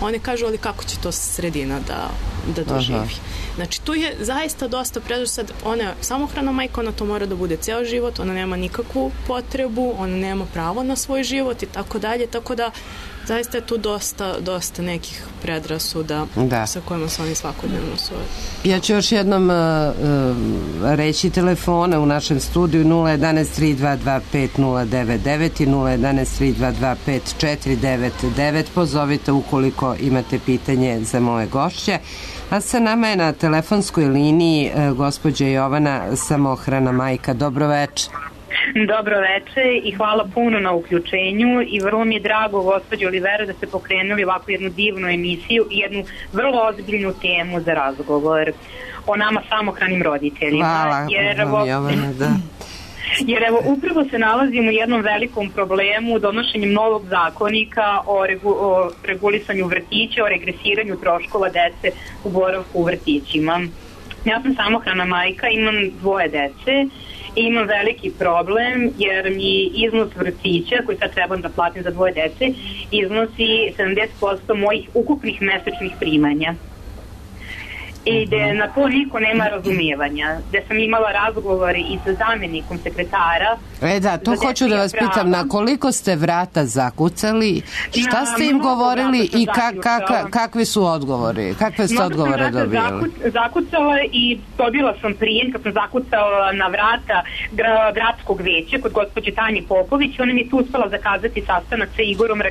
one kažu, ali kako će to sredina da, da doživi. Aha. Znači, tu je zaista dosta preduž. Sad, ona je samohrana majka, ona to mora da bude ceo život, ona nema nikakvu potrebu, ona nema pravo na svoj život i tako dalje, tako da zaista je tu dosta, dosta nekih predrasuda da. Sa kojima se oni svakodnevno suočavaju. Ja ću još jednom uh, reći telefone u našem studiju nula jedanaest tri dva dva pet nula devet devet i nula jedanaest tri dva dva pet četiri devet devet. Pozovite ukoliko imate pitanje za moje gošće. A sa nama je na telefonskoj liniji uh, gospođa Jovana, samohrana majka. Dobro večer. Dobro večer i hvala puno na uključenju i vrlo mi je drago, gospođo Olivera, da ste pokrenuli ovakvu jednu divnu emisiju i jednu vrlo ozbiljnu temu za razgovor o nama samohranim roditeljima. Hvala, jer evo, Jovana, da. Jer evo, upravo se nalazimo u jednom velikom problemu donošenjem novog zakonika o, regu, o regulisanju vrtića, o regresiranju troškova dece u boravku u vrtićima. Ja sam samohrana majka, imam dvoje dece. I imam veliki problem jer mi iznos vrtića koji sad trebam da platim za dvoje dece iznosi sedamdeset posto mojih ukupnih mesečnih primanja. I gde na to niko nema razumijevanja. Gde sam imala razgovor i sa zamjenikom sekretara. E da, to hoću da vas pitam, na koliko ste vrata zakucali, šta na, ste im govorili i ka, ka, kakvi su odgovori? Kakve ste odgovore dobili? Zakuc, zakucala i dobila sam prijem kad sam zakucala na vrata gra, gradskog veća kod gospođe Tanje Popović. Ona mi je tu uspela zakazati sastanak sa Igorom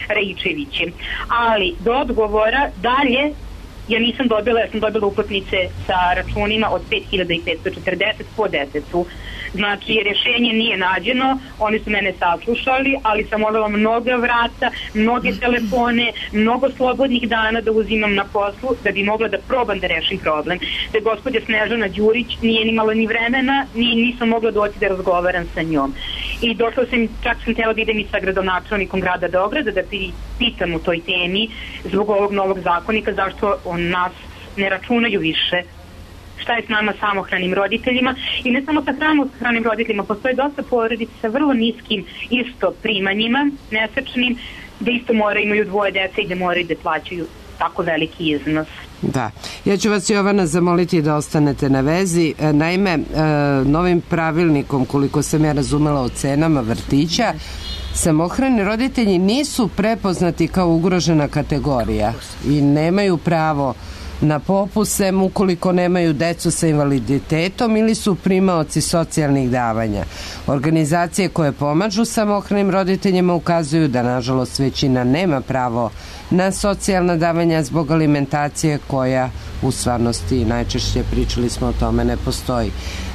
Rajičevićem. Ali do odgovora dalje ja nisam dobila, ja sam dobila uplatnice sa računima od pet hiljada petsto četrdeset po detetu. Znači, rješenje nije nađeno, oni su mene saslušali, ali sam molila mnoga vrata, mnoge telefone, mnogo slobodnih dana da uzimam na poslu, da bi mogla da probam da rešim problem. Da je gospođa Snežana Đurić nije imala ni vremena, ni, nisam mogla doći da razgovaram sa njom. I došla sam, čak sam htjela da idem i sa gradonačelnikom grada Beograda da pitam u toj temi zbog ovog novog zakonika zašto on nas ne računaju više. Šta je s nama samohranim roditeljima i ne samo sa samohranim roditeljima, postoje dosta porodica sa vrlo niskim isto primanjima, mesečnim, gde isto moraju imaju dvoje dece i gde moraju da plaćaju tako veliki iznos. Da, ja ću vas, Jovana, zamoliti da ostanete na vezi. Naime, novim pravilnikom, koliko sam ja razumela o cenama vrtića, samohrani roditelji nisu prepoznati kao ugrožena kategorija i nemaju pravo na popuse ukoliko nemaju decu sa invaliditetom ili su primaoci socijalnih davanja. Organizacije koje pomažu samohranim roditeljima ukazuju da, nažalost, većina nema pravo na socijalna davanja zbog alimentacije koja u stvarnosti, najčešće pričali smo o tome, ne postoji.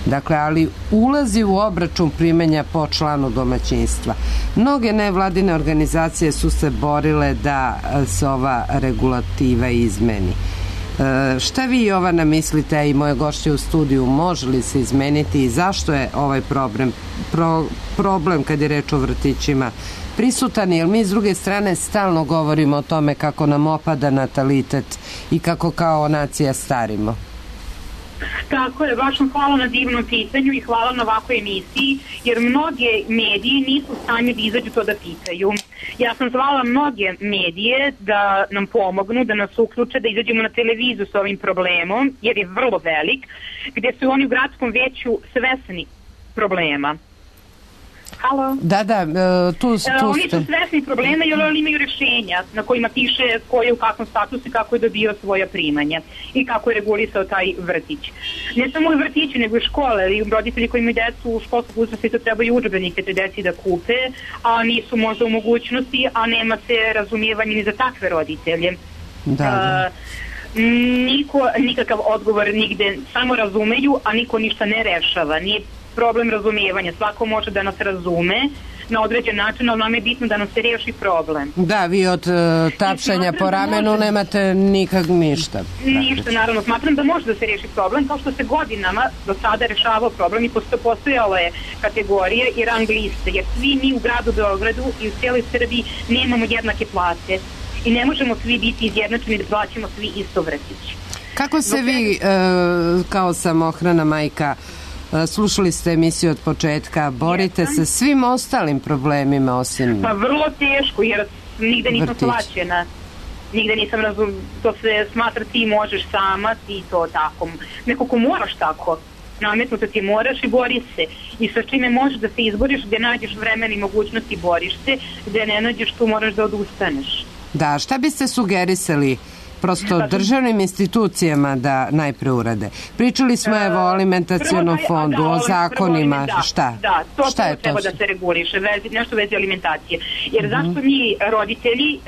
Dakle, ali ulazi u obračun primanja po članu domaćinstva. Mnoge nevladine organizacije su se borile da se ova regulativa izmeni. E, šta vi, Jovana, mislite, i moje gošće u studiju, može li se izmeniti i zašto je ovaj problem, pro, problem kad je reč o vrtićima prisutan, jer mi s druge strane stalno govorimo o tome kako nam opada natalitet i kako kao nacija starimo. Tako je, baš vam hvala na divnom pitanju i hvala na ovakvoj emisiji, jer mnoge medije nisu u stanju da izađu to da pitaju. Ja sam zvala mnoge medije da nam pomognu, da nas uključe, da izađemo na televiziju s ovim problemom, jer je vrlo velik, gde su oni u gradskom veću svesni problema. Halo? Da, da, tu, tu ste. Oni su svesni problema jer oni imaju rješenja na kojima piše ko je u kakvom statusu i kako je dobio svoja primanja i kako je regulisao taj vrtić. Ne samo u vrtići, nego i škole, i roditelji koji imaju decu u školskog uzrasta isto trebaju udžbenike te deci da kupe, a nisu možda u mogućnosti, a nema se razumijevanja ni za takve roditelje. Da, da. Uh, niko, nikakav odgovor nigde, samo razumeju, a niko ništa ne rešava. Nije problem razumijevanja. Svako može da nas razume na određen način, ali nam je bitno da nam se riješi problem. Da, vi od uh, tapšanja po ramenu može... nemate nikak ništa. Ništa, naravno. Smatram da može da se riješi problem, kao što se godinama do sada rešavao problem i postojala je kategorije i rang liste, jer svi mi u gradu Beogradu i u cijeloj Srbiji nemamo jednake plate i ne možemo svi biti izjednačeni da plaćamo svi isto vrtić. Kako se vi, uh, kao samohrana majka, slušali ste emisiju od početka, borite Jesam. se svim ostalim problemima osim... Pa vrlo teško, jer nigde nisam vrtić. plaćena. Nigde nisam razum... To se smatra ti možeš sama, ti to tako. Neko ko moraš tako. Nametnuto ti moraš i bori se. I sa čime možeš da se izboriš, gde nađeš vremena i mogućnosti, boriš se. Gde ne nađeš, tu moraš da odustaneš. Da, šta biste sugerisali prosto državnim institucijama da najpre urade? Pričali smo evo o alimentacionom fondu, o zakonima, šta? Da, to šta je treba to? da se reguliše, vezi, nešto vezi alimentacije. Jer zašto mi roditelji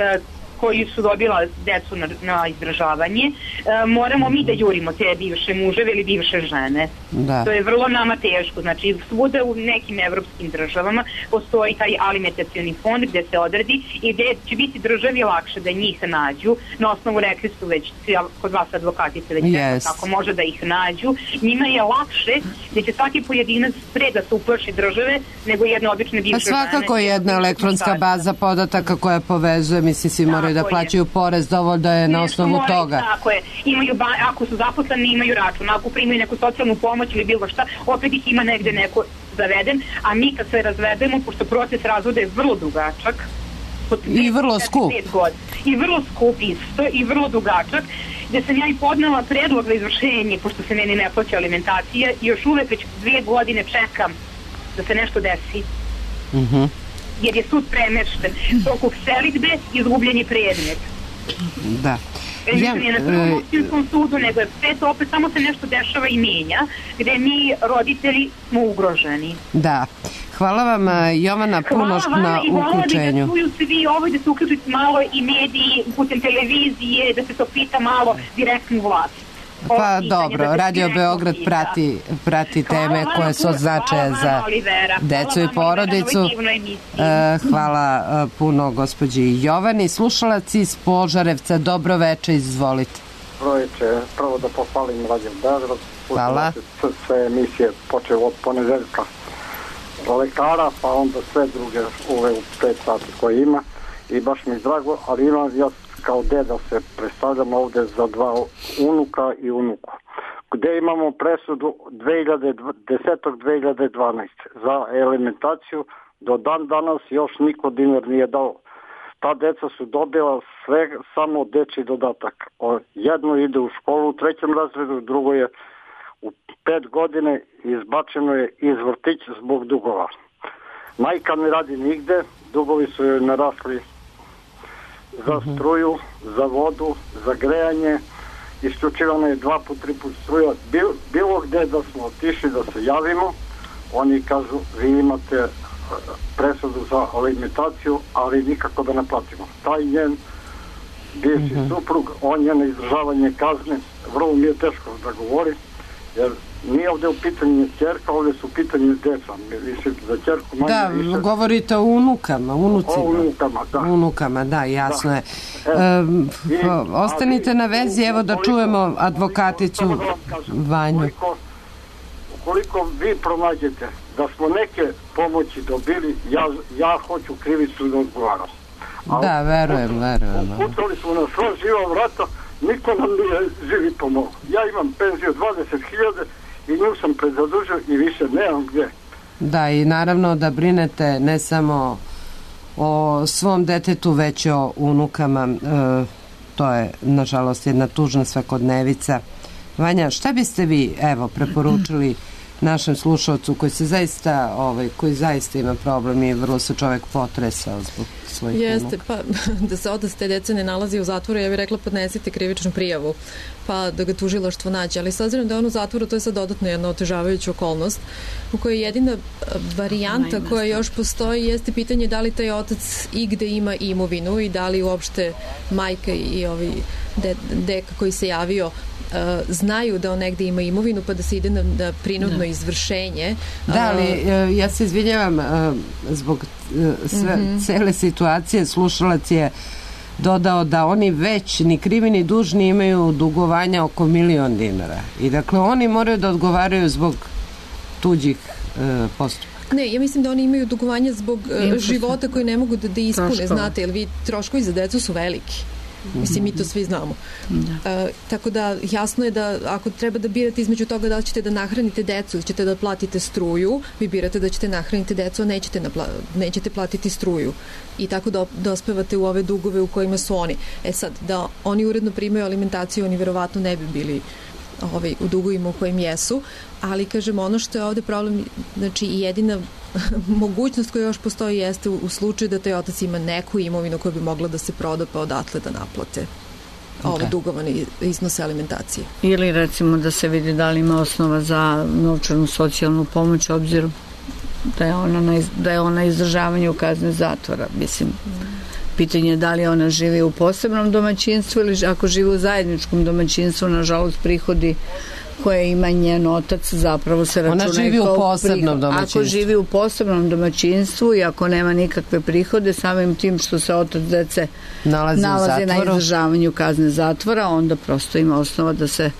koji su dobila decu na, na izdržavanje, e, moramo mi da jurimo te bivše muževe ili bivše žene. Da. To je vrlo nama teško. Znači, svuda u nekim evropskim državama postoji taj alimentacioni fond gde se odredi i gde će biti državi lakše da njih nađu. Na osnovu rekli su već, kod vas advokatice već yes. tako može da ih nađu. Njima je lakše gde će svaki pojedinac pre da se uprši države nego jedne obične bivše žene. Pa svakako žene, jedna elektronska baza podataka koja povezuje, mislim, svi moraju da plaćaju porez, dovoljno da je na osnovu moraju, toga. Tako je. Imaju ba, ako su zaposleni, imaju račun. Ako primaju neku socijalnu pomoć ili bilo šta, opet ih ima negde neko zaveden. A mi kad se razvedemo, pošto proces razvoda je vrlo dugačak, i vrlo skup. I vrlo skup isto, i vrlo dugačak, gde sam ja i podnela predlog za izvršenje, pošto se meni ne plaća alimentacija, i još uvek već dvije godine čekam da se nešto desi. Mhm. Mm jer je sud premešten. Toku selidbe izgubljeni predmet. Da. Ja, nije na prvom opštinskom sudu, nego je sve to opet samo se nešto dešava i menja, gde mi roditelji smo ugroženi. Da. Hvala vam, Jovana, puno na uključenju. Hvala i volila bi da čuju svi ovo, da se uključuju malo i mediji putem televizije, da se to pita malo direktnu vlast. Pa dobro, Radio Beograd prati, prati teme koje su od značaja za decu i porodicu. Hvala puno gospođi Jovani. Slušalac iz Požarevca, dobro veče, izvolite. Dobro veče, prvo da pohvalim Radio Beograd. Hvala. Sve emisije počeo od ponedeljka lekara, pa onda sve druge ove u pet sati koje ima i baš mi je drago, ali imam ja kao deda se predstavljam ovde za dva unuka i unuku. Gde imamo presudu dve hiljade desete dve hiljade dvanaeste za alimentaciju, do dan danas još niko dinar nije dao. Ta deca su dobila sve, samo dečji dodatak. Jedno ide u školu u trećem razredu, drugo je u pet godine izbačeno je iz vrtića zbog dugova. Majka ne radi nigde, dugovi su joj narasli za struju, za vodu, za grejanje, isključivano je dva put, tri put struja. Bil, bilo gde da smo otišli da se javimo, oni kažu vi imate presudu za alimentaciju, ali nikako da ne platimo. Taj njen bivši mm-hmm. suprug, on je na izdržavanje kazne, vrlo mi je teško da govori, jer nije ovde u pitanju ćerka, ovde su u pitanju deca. Više za ćerku manje da, više. Da, govorite o unucama, unucima. O unukama, da. Unukama, da, jasno da. je. E, I, ostanite na vezi, evo da čujemo advokaticu da kažem, Vanju. Ukoliko, ukoliko vi pronađete da smo neke pomoći dobili, ja, ja hoću krivicu da odgovaram. A da, verujem, verujem. Uputali smo na sva živa vrata, niko nam nije živi pomogao. Ja imam penziju dvadeset hiljada i nju sam prezadužio i više nemam gdje. Da, i naravno da brinete ne samo o svom detetu, već o unukama. E, to je, nažalost, jedna tužna svakodnevica. Vanja, šta biste vi, evo, preporučili našem slušalcu koji se zaista, ovaj, koji zaista ima problem i vrlo se čovek potresao zbog svojih Jeste, unuka? pa da se otac te dece ne nalazi u zatvoru, ja bih rekla podnesite krivičnu prijavu, pa da ga tužilaštvo nađe. Ali s obzirom da je on u zatvoru, to je sad dodatno jedna otežavajuća okolnost u kojoj jedina varijanta koja još postoji jeste pitanje da li taj otac igde ima imovinu i da li uopšte majka i ovi de, deka koji se javio znaju da on negde ima imovinu pa da se ide na, na prinudno da. izvršenje. Da, ali ja se izvinjavam zbog sve, mm-hmm. cele situacije, slušalac je dodao da oni već ni krivi ni dužni imaju dugovanja oko milion dinara i dakle oni moraju da odgovaraju zbog tuđih e, postupaka. Ne, ja mislim da oni imaju dugovanja zbog e, života koji ne mogu da, da ispune, troškova. Znate, jer vi troškovi za decu su veliki. Mislim, mi to svi znamo. Da. E, tako da, jasno je da ako treba da birate između toga da li ćete da nahranite decu ili ćete da platite struju, vi birate da ćete nahraniti decu, a nećete, napla, nećete platiti struju. I tako da dospevate u ove dugove u kojima su oni. E sad, da oni uredno primaju alimentaciju, oni verovatno ne bi bili ovaj, u dugovima u kojim jesu, ali kažem, ono što je ovde problem, znači jedina mogućnost koja još postoji jeste u, u slučaju da taj otac ima neku imovinu koja bi mogla da se proda pa odatle da naplate okay. ove dugovane iznose alimentacije. Ili recimo da se vidi da li ima osnova za novčanu socijalnu pomoć obzirom da je ona na, da je ona izdržavanju kazne zatvora. Mislim, pitanje je da li ona živi u posebnom domaćinstvu ili ako živi u zajedničkom domaćinstvu, nažalost prihodi koje ima njen otac zapravo se računaju. Ona živi u posebnom domaćinstvu. Ako živi u posebnom domaćinstvu i ako nema nikakve prihode, samim tim što se otac dece nalazi, nalazi na izdržavanju kazne zatvora, onda prosto ima osnova da se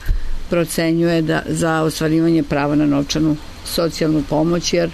procenjuje da za ostvarivanje prava na novčanu socijalnu pomoć, jer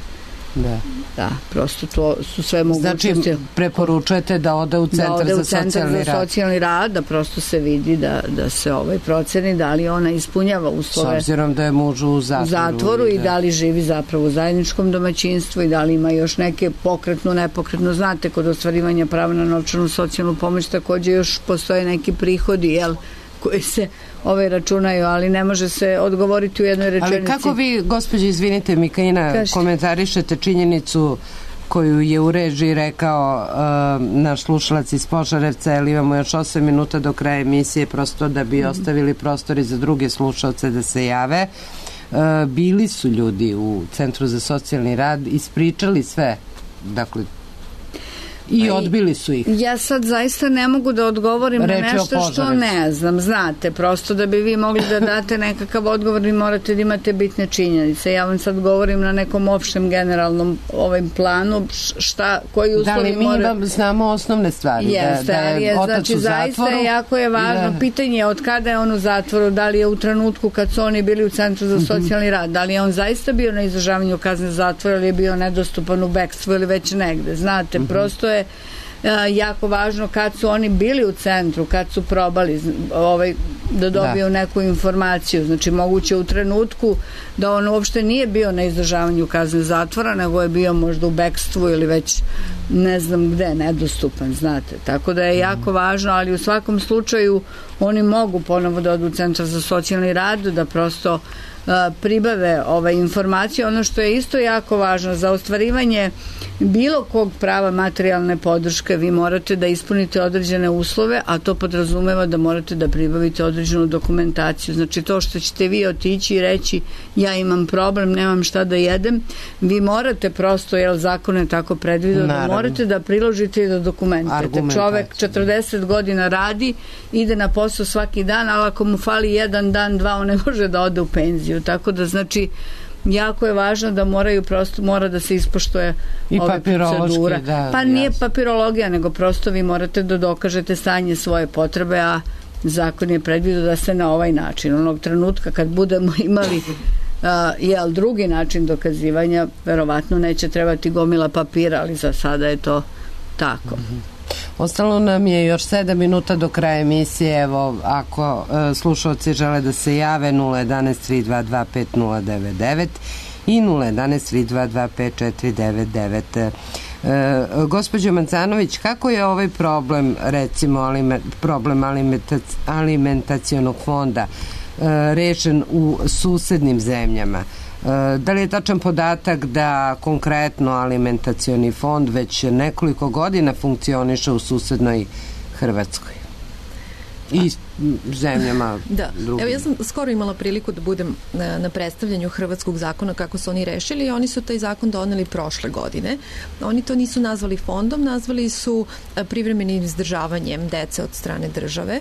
Da. da, prosto to su sve mogućnosti. Znači, preporučujete da ode u centar, da ode u za, centar socijalni za socijalni rad, da prosto se vidi da, da se ovaj proceni da li ona ispunjava uslove. S obzirom da je muž u zatvoru. U zatvoru i da. da li živi zapravo u zajedničkom domaćinstvu i da li ima još neke pokretno, nepokretno. Znate, kod ostvarivanja prava na novčanu socijalnu pomoć takođe još postoje neki prihodi, jel, koji se ove računaju, ali ne može se odgovoriti u jednoj rečenici. Ali kako vi, gospođe, izvinite, Mikaina, Kažete. komentarišete činjenicu koju je u režiji rekao uh, naš slušalac iz Požarevca, jer imamo još osam minuta do kraja emisije, prosto da bi mm. ostavili prostori za druge slušalce da se jave. Uh, bili su ljudi u Centru za socijalni rad, ispričali sve, dakle, i odbili su ih. Ja sad zaista ne mogu da odgovorim Reči na nešto što ne znam. Znate, prosto da bi vi mogli da date nekakav odgovor, vi morate da imate bitne činjenice. Ja vam sad govorim na nekom opštem generalnom ovim planu šta, koji uslovi da li mi more... vam znamo osnovne stvari? Jeste, da, da je je, otac znači, u zatvoru? Zaista je jako je važno. Da. Pitanje je od kada je on u zatvoru, da li je u trenutku kad su oni bili u Centru za socijalni rad, da li je on zaista bio na izdržavanju kazne zatvora ili je bio nedostupan u bekstvu ili već negde. Znate, mm-hmm. prosto je jako važno kad su oni bili u centru, kad su probali ovaj, da dobiju da. neku informaciju. Znači, moguće u trenutku da on uopšte nije bio na izdržavanju kazne zatvora, nego je bio možda u bekstvu ili već ne znam gde, nedostupan, znate. Tako da je jako važno, ali u svakom slučaju oni mogu ponovo da odu u Centar za socijalni rad, da prosto pribave ove informacije. Ono što je isto jako važno za ostvarivanje bilo kog prava materijalne podrške, vi morate da ispunite određene uslove, a to podrazumeva da morate da pribavite određenu dokumentaciju. Znači, to što ćete vi otići i reći ja imam problem, nemam šta da jedem, vi morate prosto, jer zakon je tako predvideo, da morate da priložite i da dokumentate. Čovek četrdeset godina radi, ide na posao svaki dan, ali ako mu fali jedan dan, dva, on ne može da ode u penziju. Tako da, znači, jako je važno da moraju prosto, mora da se ispoštuje i ove procedura. Da, pa nije jasno. Papirologija, nego prosto vi morate da dokažete stanje svoje potrebe, a zakon je predvidio da se na ovaj način, onog trenutka kad budemo imali uh, jel, drugi način dokazivanja, verovatno neće trebati gomila papira, ali za sada je to tako. Mm-hmm. Ostalo nam je još sedam minuta do kraja emisije. Evo, ako e, slušalci žele da se jave, nula jedan tri dva dva pet nula devet devet i nula jedan tri dva dva pet četiri devet devet. E, gospođo Mancanović, kako je ovaj problem, recimo aliment, problem alimentac, alimentacionog fonda e, rešen u susednim zemljama? Da li je tačan podatak da konkretno alimentacioni fond već nekoliko godina funkcioniše u susednoj Hrvatskoj i zemljama da. drugim? Evo, ja sam skoro imala priliku da budem na, na predstavljanju hrvatskog zakona kako su oni rešili i oni su taj zakon doneli prošle godine. Oni to nisu nazvali fondom, nazvali su privremenim izdržavanjem dece od strane države.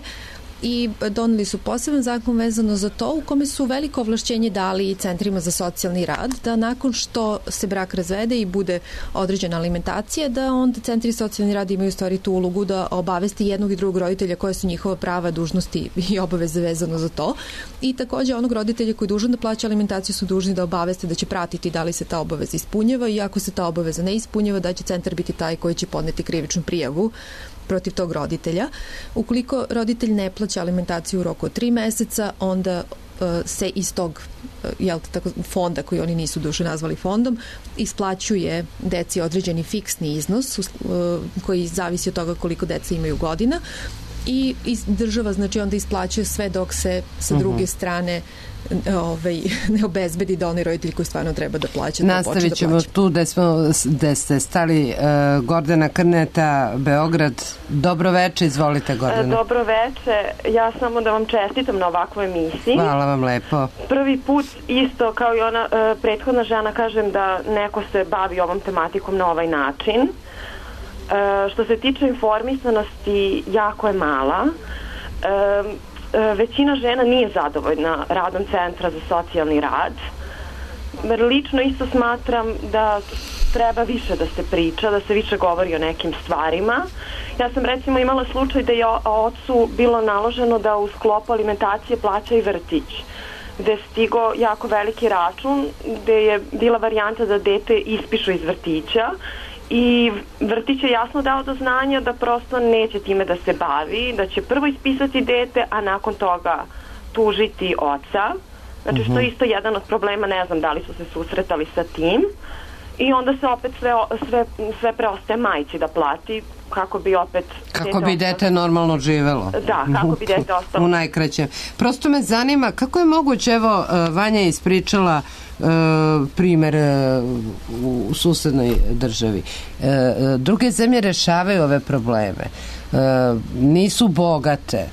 i doneli su poseban zakon vezano za to u kome su veliko ovlašćenje dali i centrima za socijalni rad, da nakon što se brak razvede i bude određena alimentacija, da onda centri socijalni rad imaju u stvari tu ulogu da obavesti jednog i drugog roditelja koje su njihova prava, dužnosti i obaveze vezano za to. I takođe onog roditelja koji je dužan da plaća alimentaciju su dužni da obaveste da će pratiti da li se ta obaveza ispunjava i ako se ta obaveza ne ispunjava, da će centar biti taj koji će podneti krivičnu prijavu protiv tog roditelja. Ukoliko roditelj ne plaća alimentaciju u roku od tri meseca, onda uh, se iz tog uh, jel, tako, fonda, koji oni nisu duše nazvali fondom, isplaćuje deci određeni fiksni iznos uh, koji zavisi od toga koliko deca imaju godina i država znači onda isplaćuje sve dok se sa druge strane ovaj, ne obezbedi da onaj roditelj koji stvarno treba da plaća. Nastavit ćemo da tu gde, smo, gde ste stali. uh, Gordana Krneta, Beograd. Dobro veče, izvolite Gordana. Dobro veče, ja samo da vam čestitam na ovakvoj emisiji. Hvala vam lepo. Prvi put isto kao i ona uh, prethodna žena kažem da neko se bavi ovom tematikom na ovaj način. Uh, što se tiče informisanosti, jako je mala. Uh, većina žena nije zadovoljna radom Centra za socijalni rad. Lično isto smatram da treba više da se priča, da se više govori o nekim stvarima. Ja sam recimo imala slučaj da je ocu bilo naloženo da u sklopu alimentacije plaća i vrtić, gde je stigo jako veliki račun, gde je bila varijanta da dete ispišu iz vrtića i vrtić je jasno dao do znanja da prosto neće time da se bavi, da će prvo ispisati dete, a nakon toga tužiti oca. Znači što je isto jedan od problema, ne znam da li su se susretali sa tim. I onda se opet sve, sve, sve preostaje majci da plati kako bi opet... Kako bi dete normalno živelo. Da, kako bi dete ostalo. U najkraćem. Prosto me zanima kako je moguće, evo Vanja je ispričala Uh, primer uh, u susednoj državi. Uh, druge zemlje rešavaju ove probleme. Uh, nisu bogate.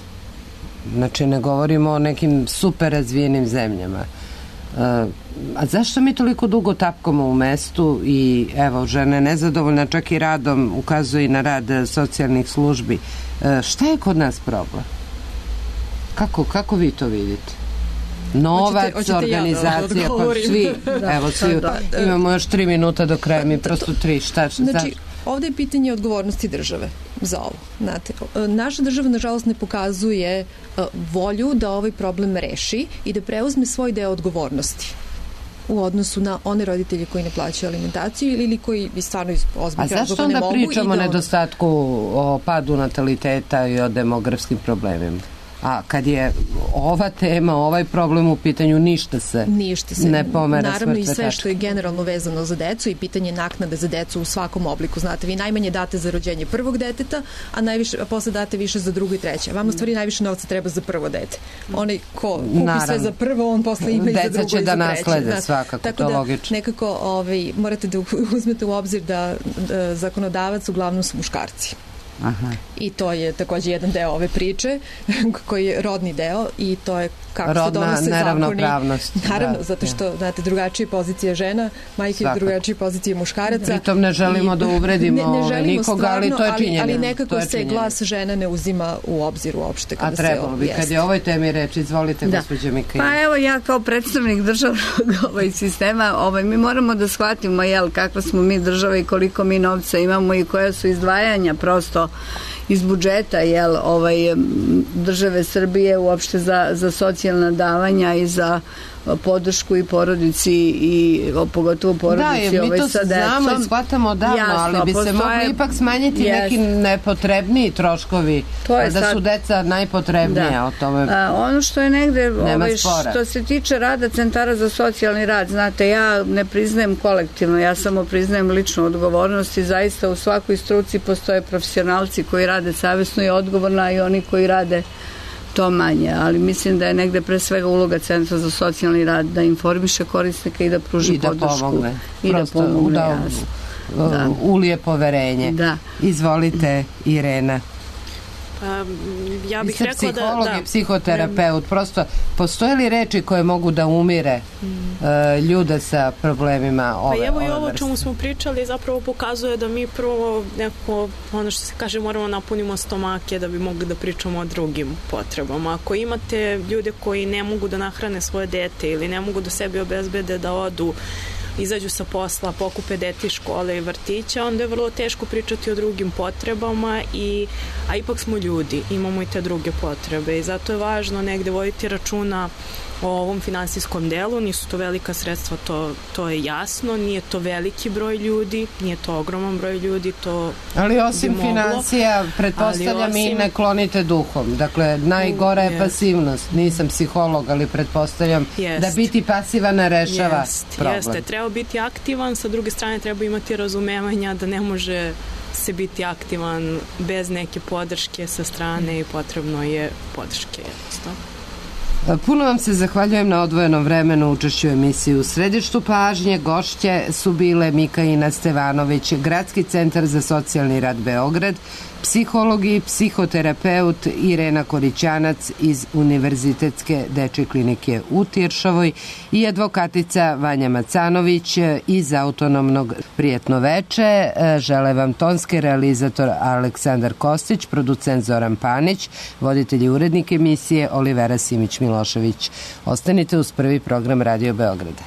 Znači ne govorimo o nekim super razvijenim zemljama. Uh, a zašto mi toliko dugo tapkamo u mestu i evo žene nezadovoljna čak i radom ukazuje i na rad socijalnih službi. Uh, šta je kod nas problem? Kako, kako vi to vidite? Novac, hoćete, hoćete organizacija, ja da pa svi, da, evo svi, da, da. Imamo još tri minuta do kraja, mi prosto tri, šta, šta? Znači, ovde je pitanje odgovornosti države za ovo. Znate, naša država, nažalost, ne pokazuje volju da ovaj problem reši i da preuzme svoj deo odgovornosti u odnosu na one roditelje koji ne plaćaju alimentaciju ili koji bi stvarno iz ozbiljnih razloga ne mogu. A zašto onda pričamo o da nedostatku, o padu nataliteta i o demografskim problemima? A kad je ova tema, ovaj problem u pitanju, ništa se, ništa se ne pomera. Naravno i sve što je generalno vezano za decu i pitanje naknade za decu u svakom obliku. Znate, vi najmanje date za rođenje prvog deteta, a, najviše, a posle date više za drugo i treće. Vama stvari najviše novca treba za prvo dete. Onaj ko kupi naravno sve za prvo, on posle ima i za drugo i za treće. Deca će da naslede svakako, tako to da, logično. Nekako ovaj, morate da uzmete u obzir da, da zakonodavac uglavnom su muškarci. Aha. I to je takođe jedan deo ove priče koji je rodni deo i to je kako rodna se donose neravnopravnost. Zakoni. Naravno, da, zato što, znate, drugačija pozicija žena, majke drugačija pozicija muškaraca. Pritom ne želimo i, da uvredimo ne, ne želimo nikoga, stvarno, ali to je činjenje. Ali, ali nekako se glas žena ne uzima u obzir uopšte. Kada a trebalo bi, kad je ovoj temi reč, izvolite, da. Gospođo Mikail. Pa evo, ja kao predstavnik državnog ovaj sistema, ovaj, mi moramo da shvatimo, jel, kakva smo mi država i koliko mi novca imamo i koja su izdvajanja prosto iz budžeta, jel, ovaj, države Srbije uopšte za, za socijalna davanja i za podršku i porodici i pogotovo porodici da, ovaj, sa decom. Da, mi to znamo i shvatamo davno, jasno, ali bi postoje, se mogli ipak smanjiti jest. neki nepotrebniji troškovi, da sad, su deca najpotrebnije da. o tome. A, ono što je negde, ovaj, što se tiče rada centara za socijalni rad, znate, ja ne priznajem kolektivno, ja samo priznajem ličnu odgovornost i zaista u svakoj struci postoje profesionalci koji rade savjesno i odgovorno i oni koji rade to manje, ali mislim da je negde pre svega uloga Centra za socijalni rad da informiše korisnika i da pruži I da podršku. Pomogne. I Prosto, da pomogne. Da, da. Ulije poverenje. Da. Izvolite, Irena. Ja bih rekla da... psiholog da, i psihoterapeut, prosto postoje li reči koje mogu da umire mm. uh, ljude sa problemima ove, pa evo ove i ovo vrste? Čemu smo pričali zapravo pokazuje da mi prvo neko, ono što se kaže, moramo napunimo stomake da bi mogli da pričamo o drugim potrebama. Ako imate ljude koji ne mogu da nahrane svoje dete ili ne mogu da sebi obezbede da odu, izađu sa posla, pokupe dete iz škole i vrtića, onda je vrlo teško pričati o drugim potrebama, i, a ipak smo ljudi, imamo i te druge potrebe i zato je važno negde voditi računa o ovom finansijskom delu. Nisu to velika sredstva, to, to je jasno, nije to veliki broj ljudi, nije to ogroman broj ljudi, to ali osim finansija, pretpostavljam osim... i ne klonite duhom. Dakle, najgora je pasivnost. Nisam psiholog, ali pretpostavljam jest. Da biti pasivan ne rešava jest. problem. Jeste, treba biti aktivan, sa druge strane treba imati razumevanja da ne može se biti aktivan bez neke podrške sa strane i potrebno je podrške jednostavno. Puno vam se zahvaljujem na odvojenom vremenu učešću u emisiji U središtu pažnje. Gošće su bile Mikaina Stevanović, Gradski centar za socijalni rad Beograd, psiholog i psihoterapeut Irena Korićanac iz Univerzitetske dečje klinike u Tiršovoj i advokatica Vanja Macanović iz Autonomnog. Prijetno veče. Žele vam tonski realizator Aleksandar Kostić, producent Zoran Panić, voditelj i urednik emisije Olivera Simić-Milošević. Ostanite uz prvi program Radio Beograda.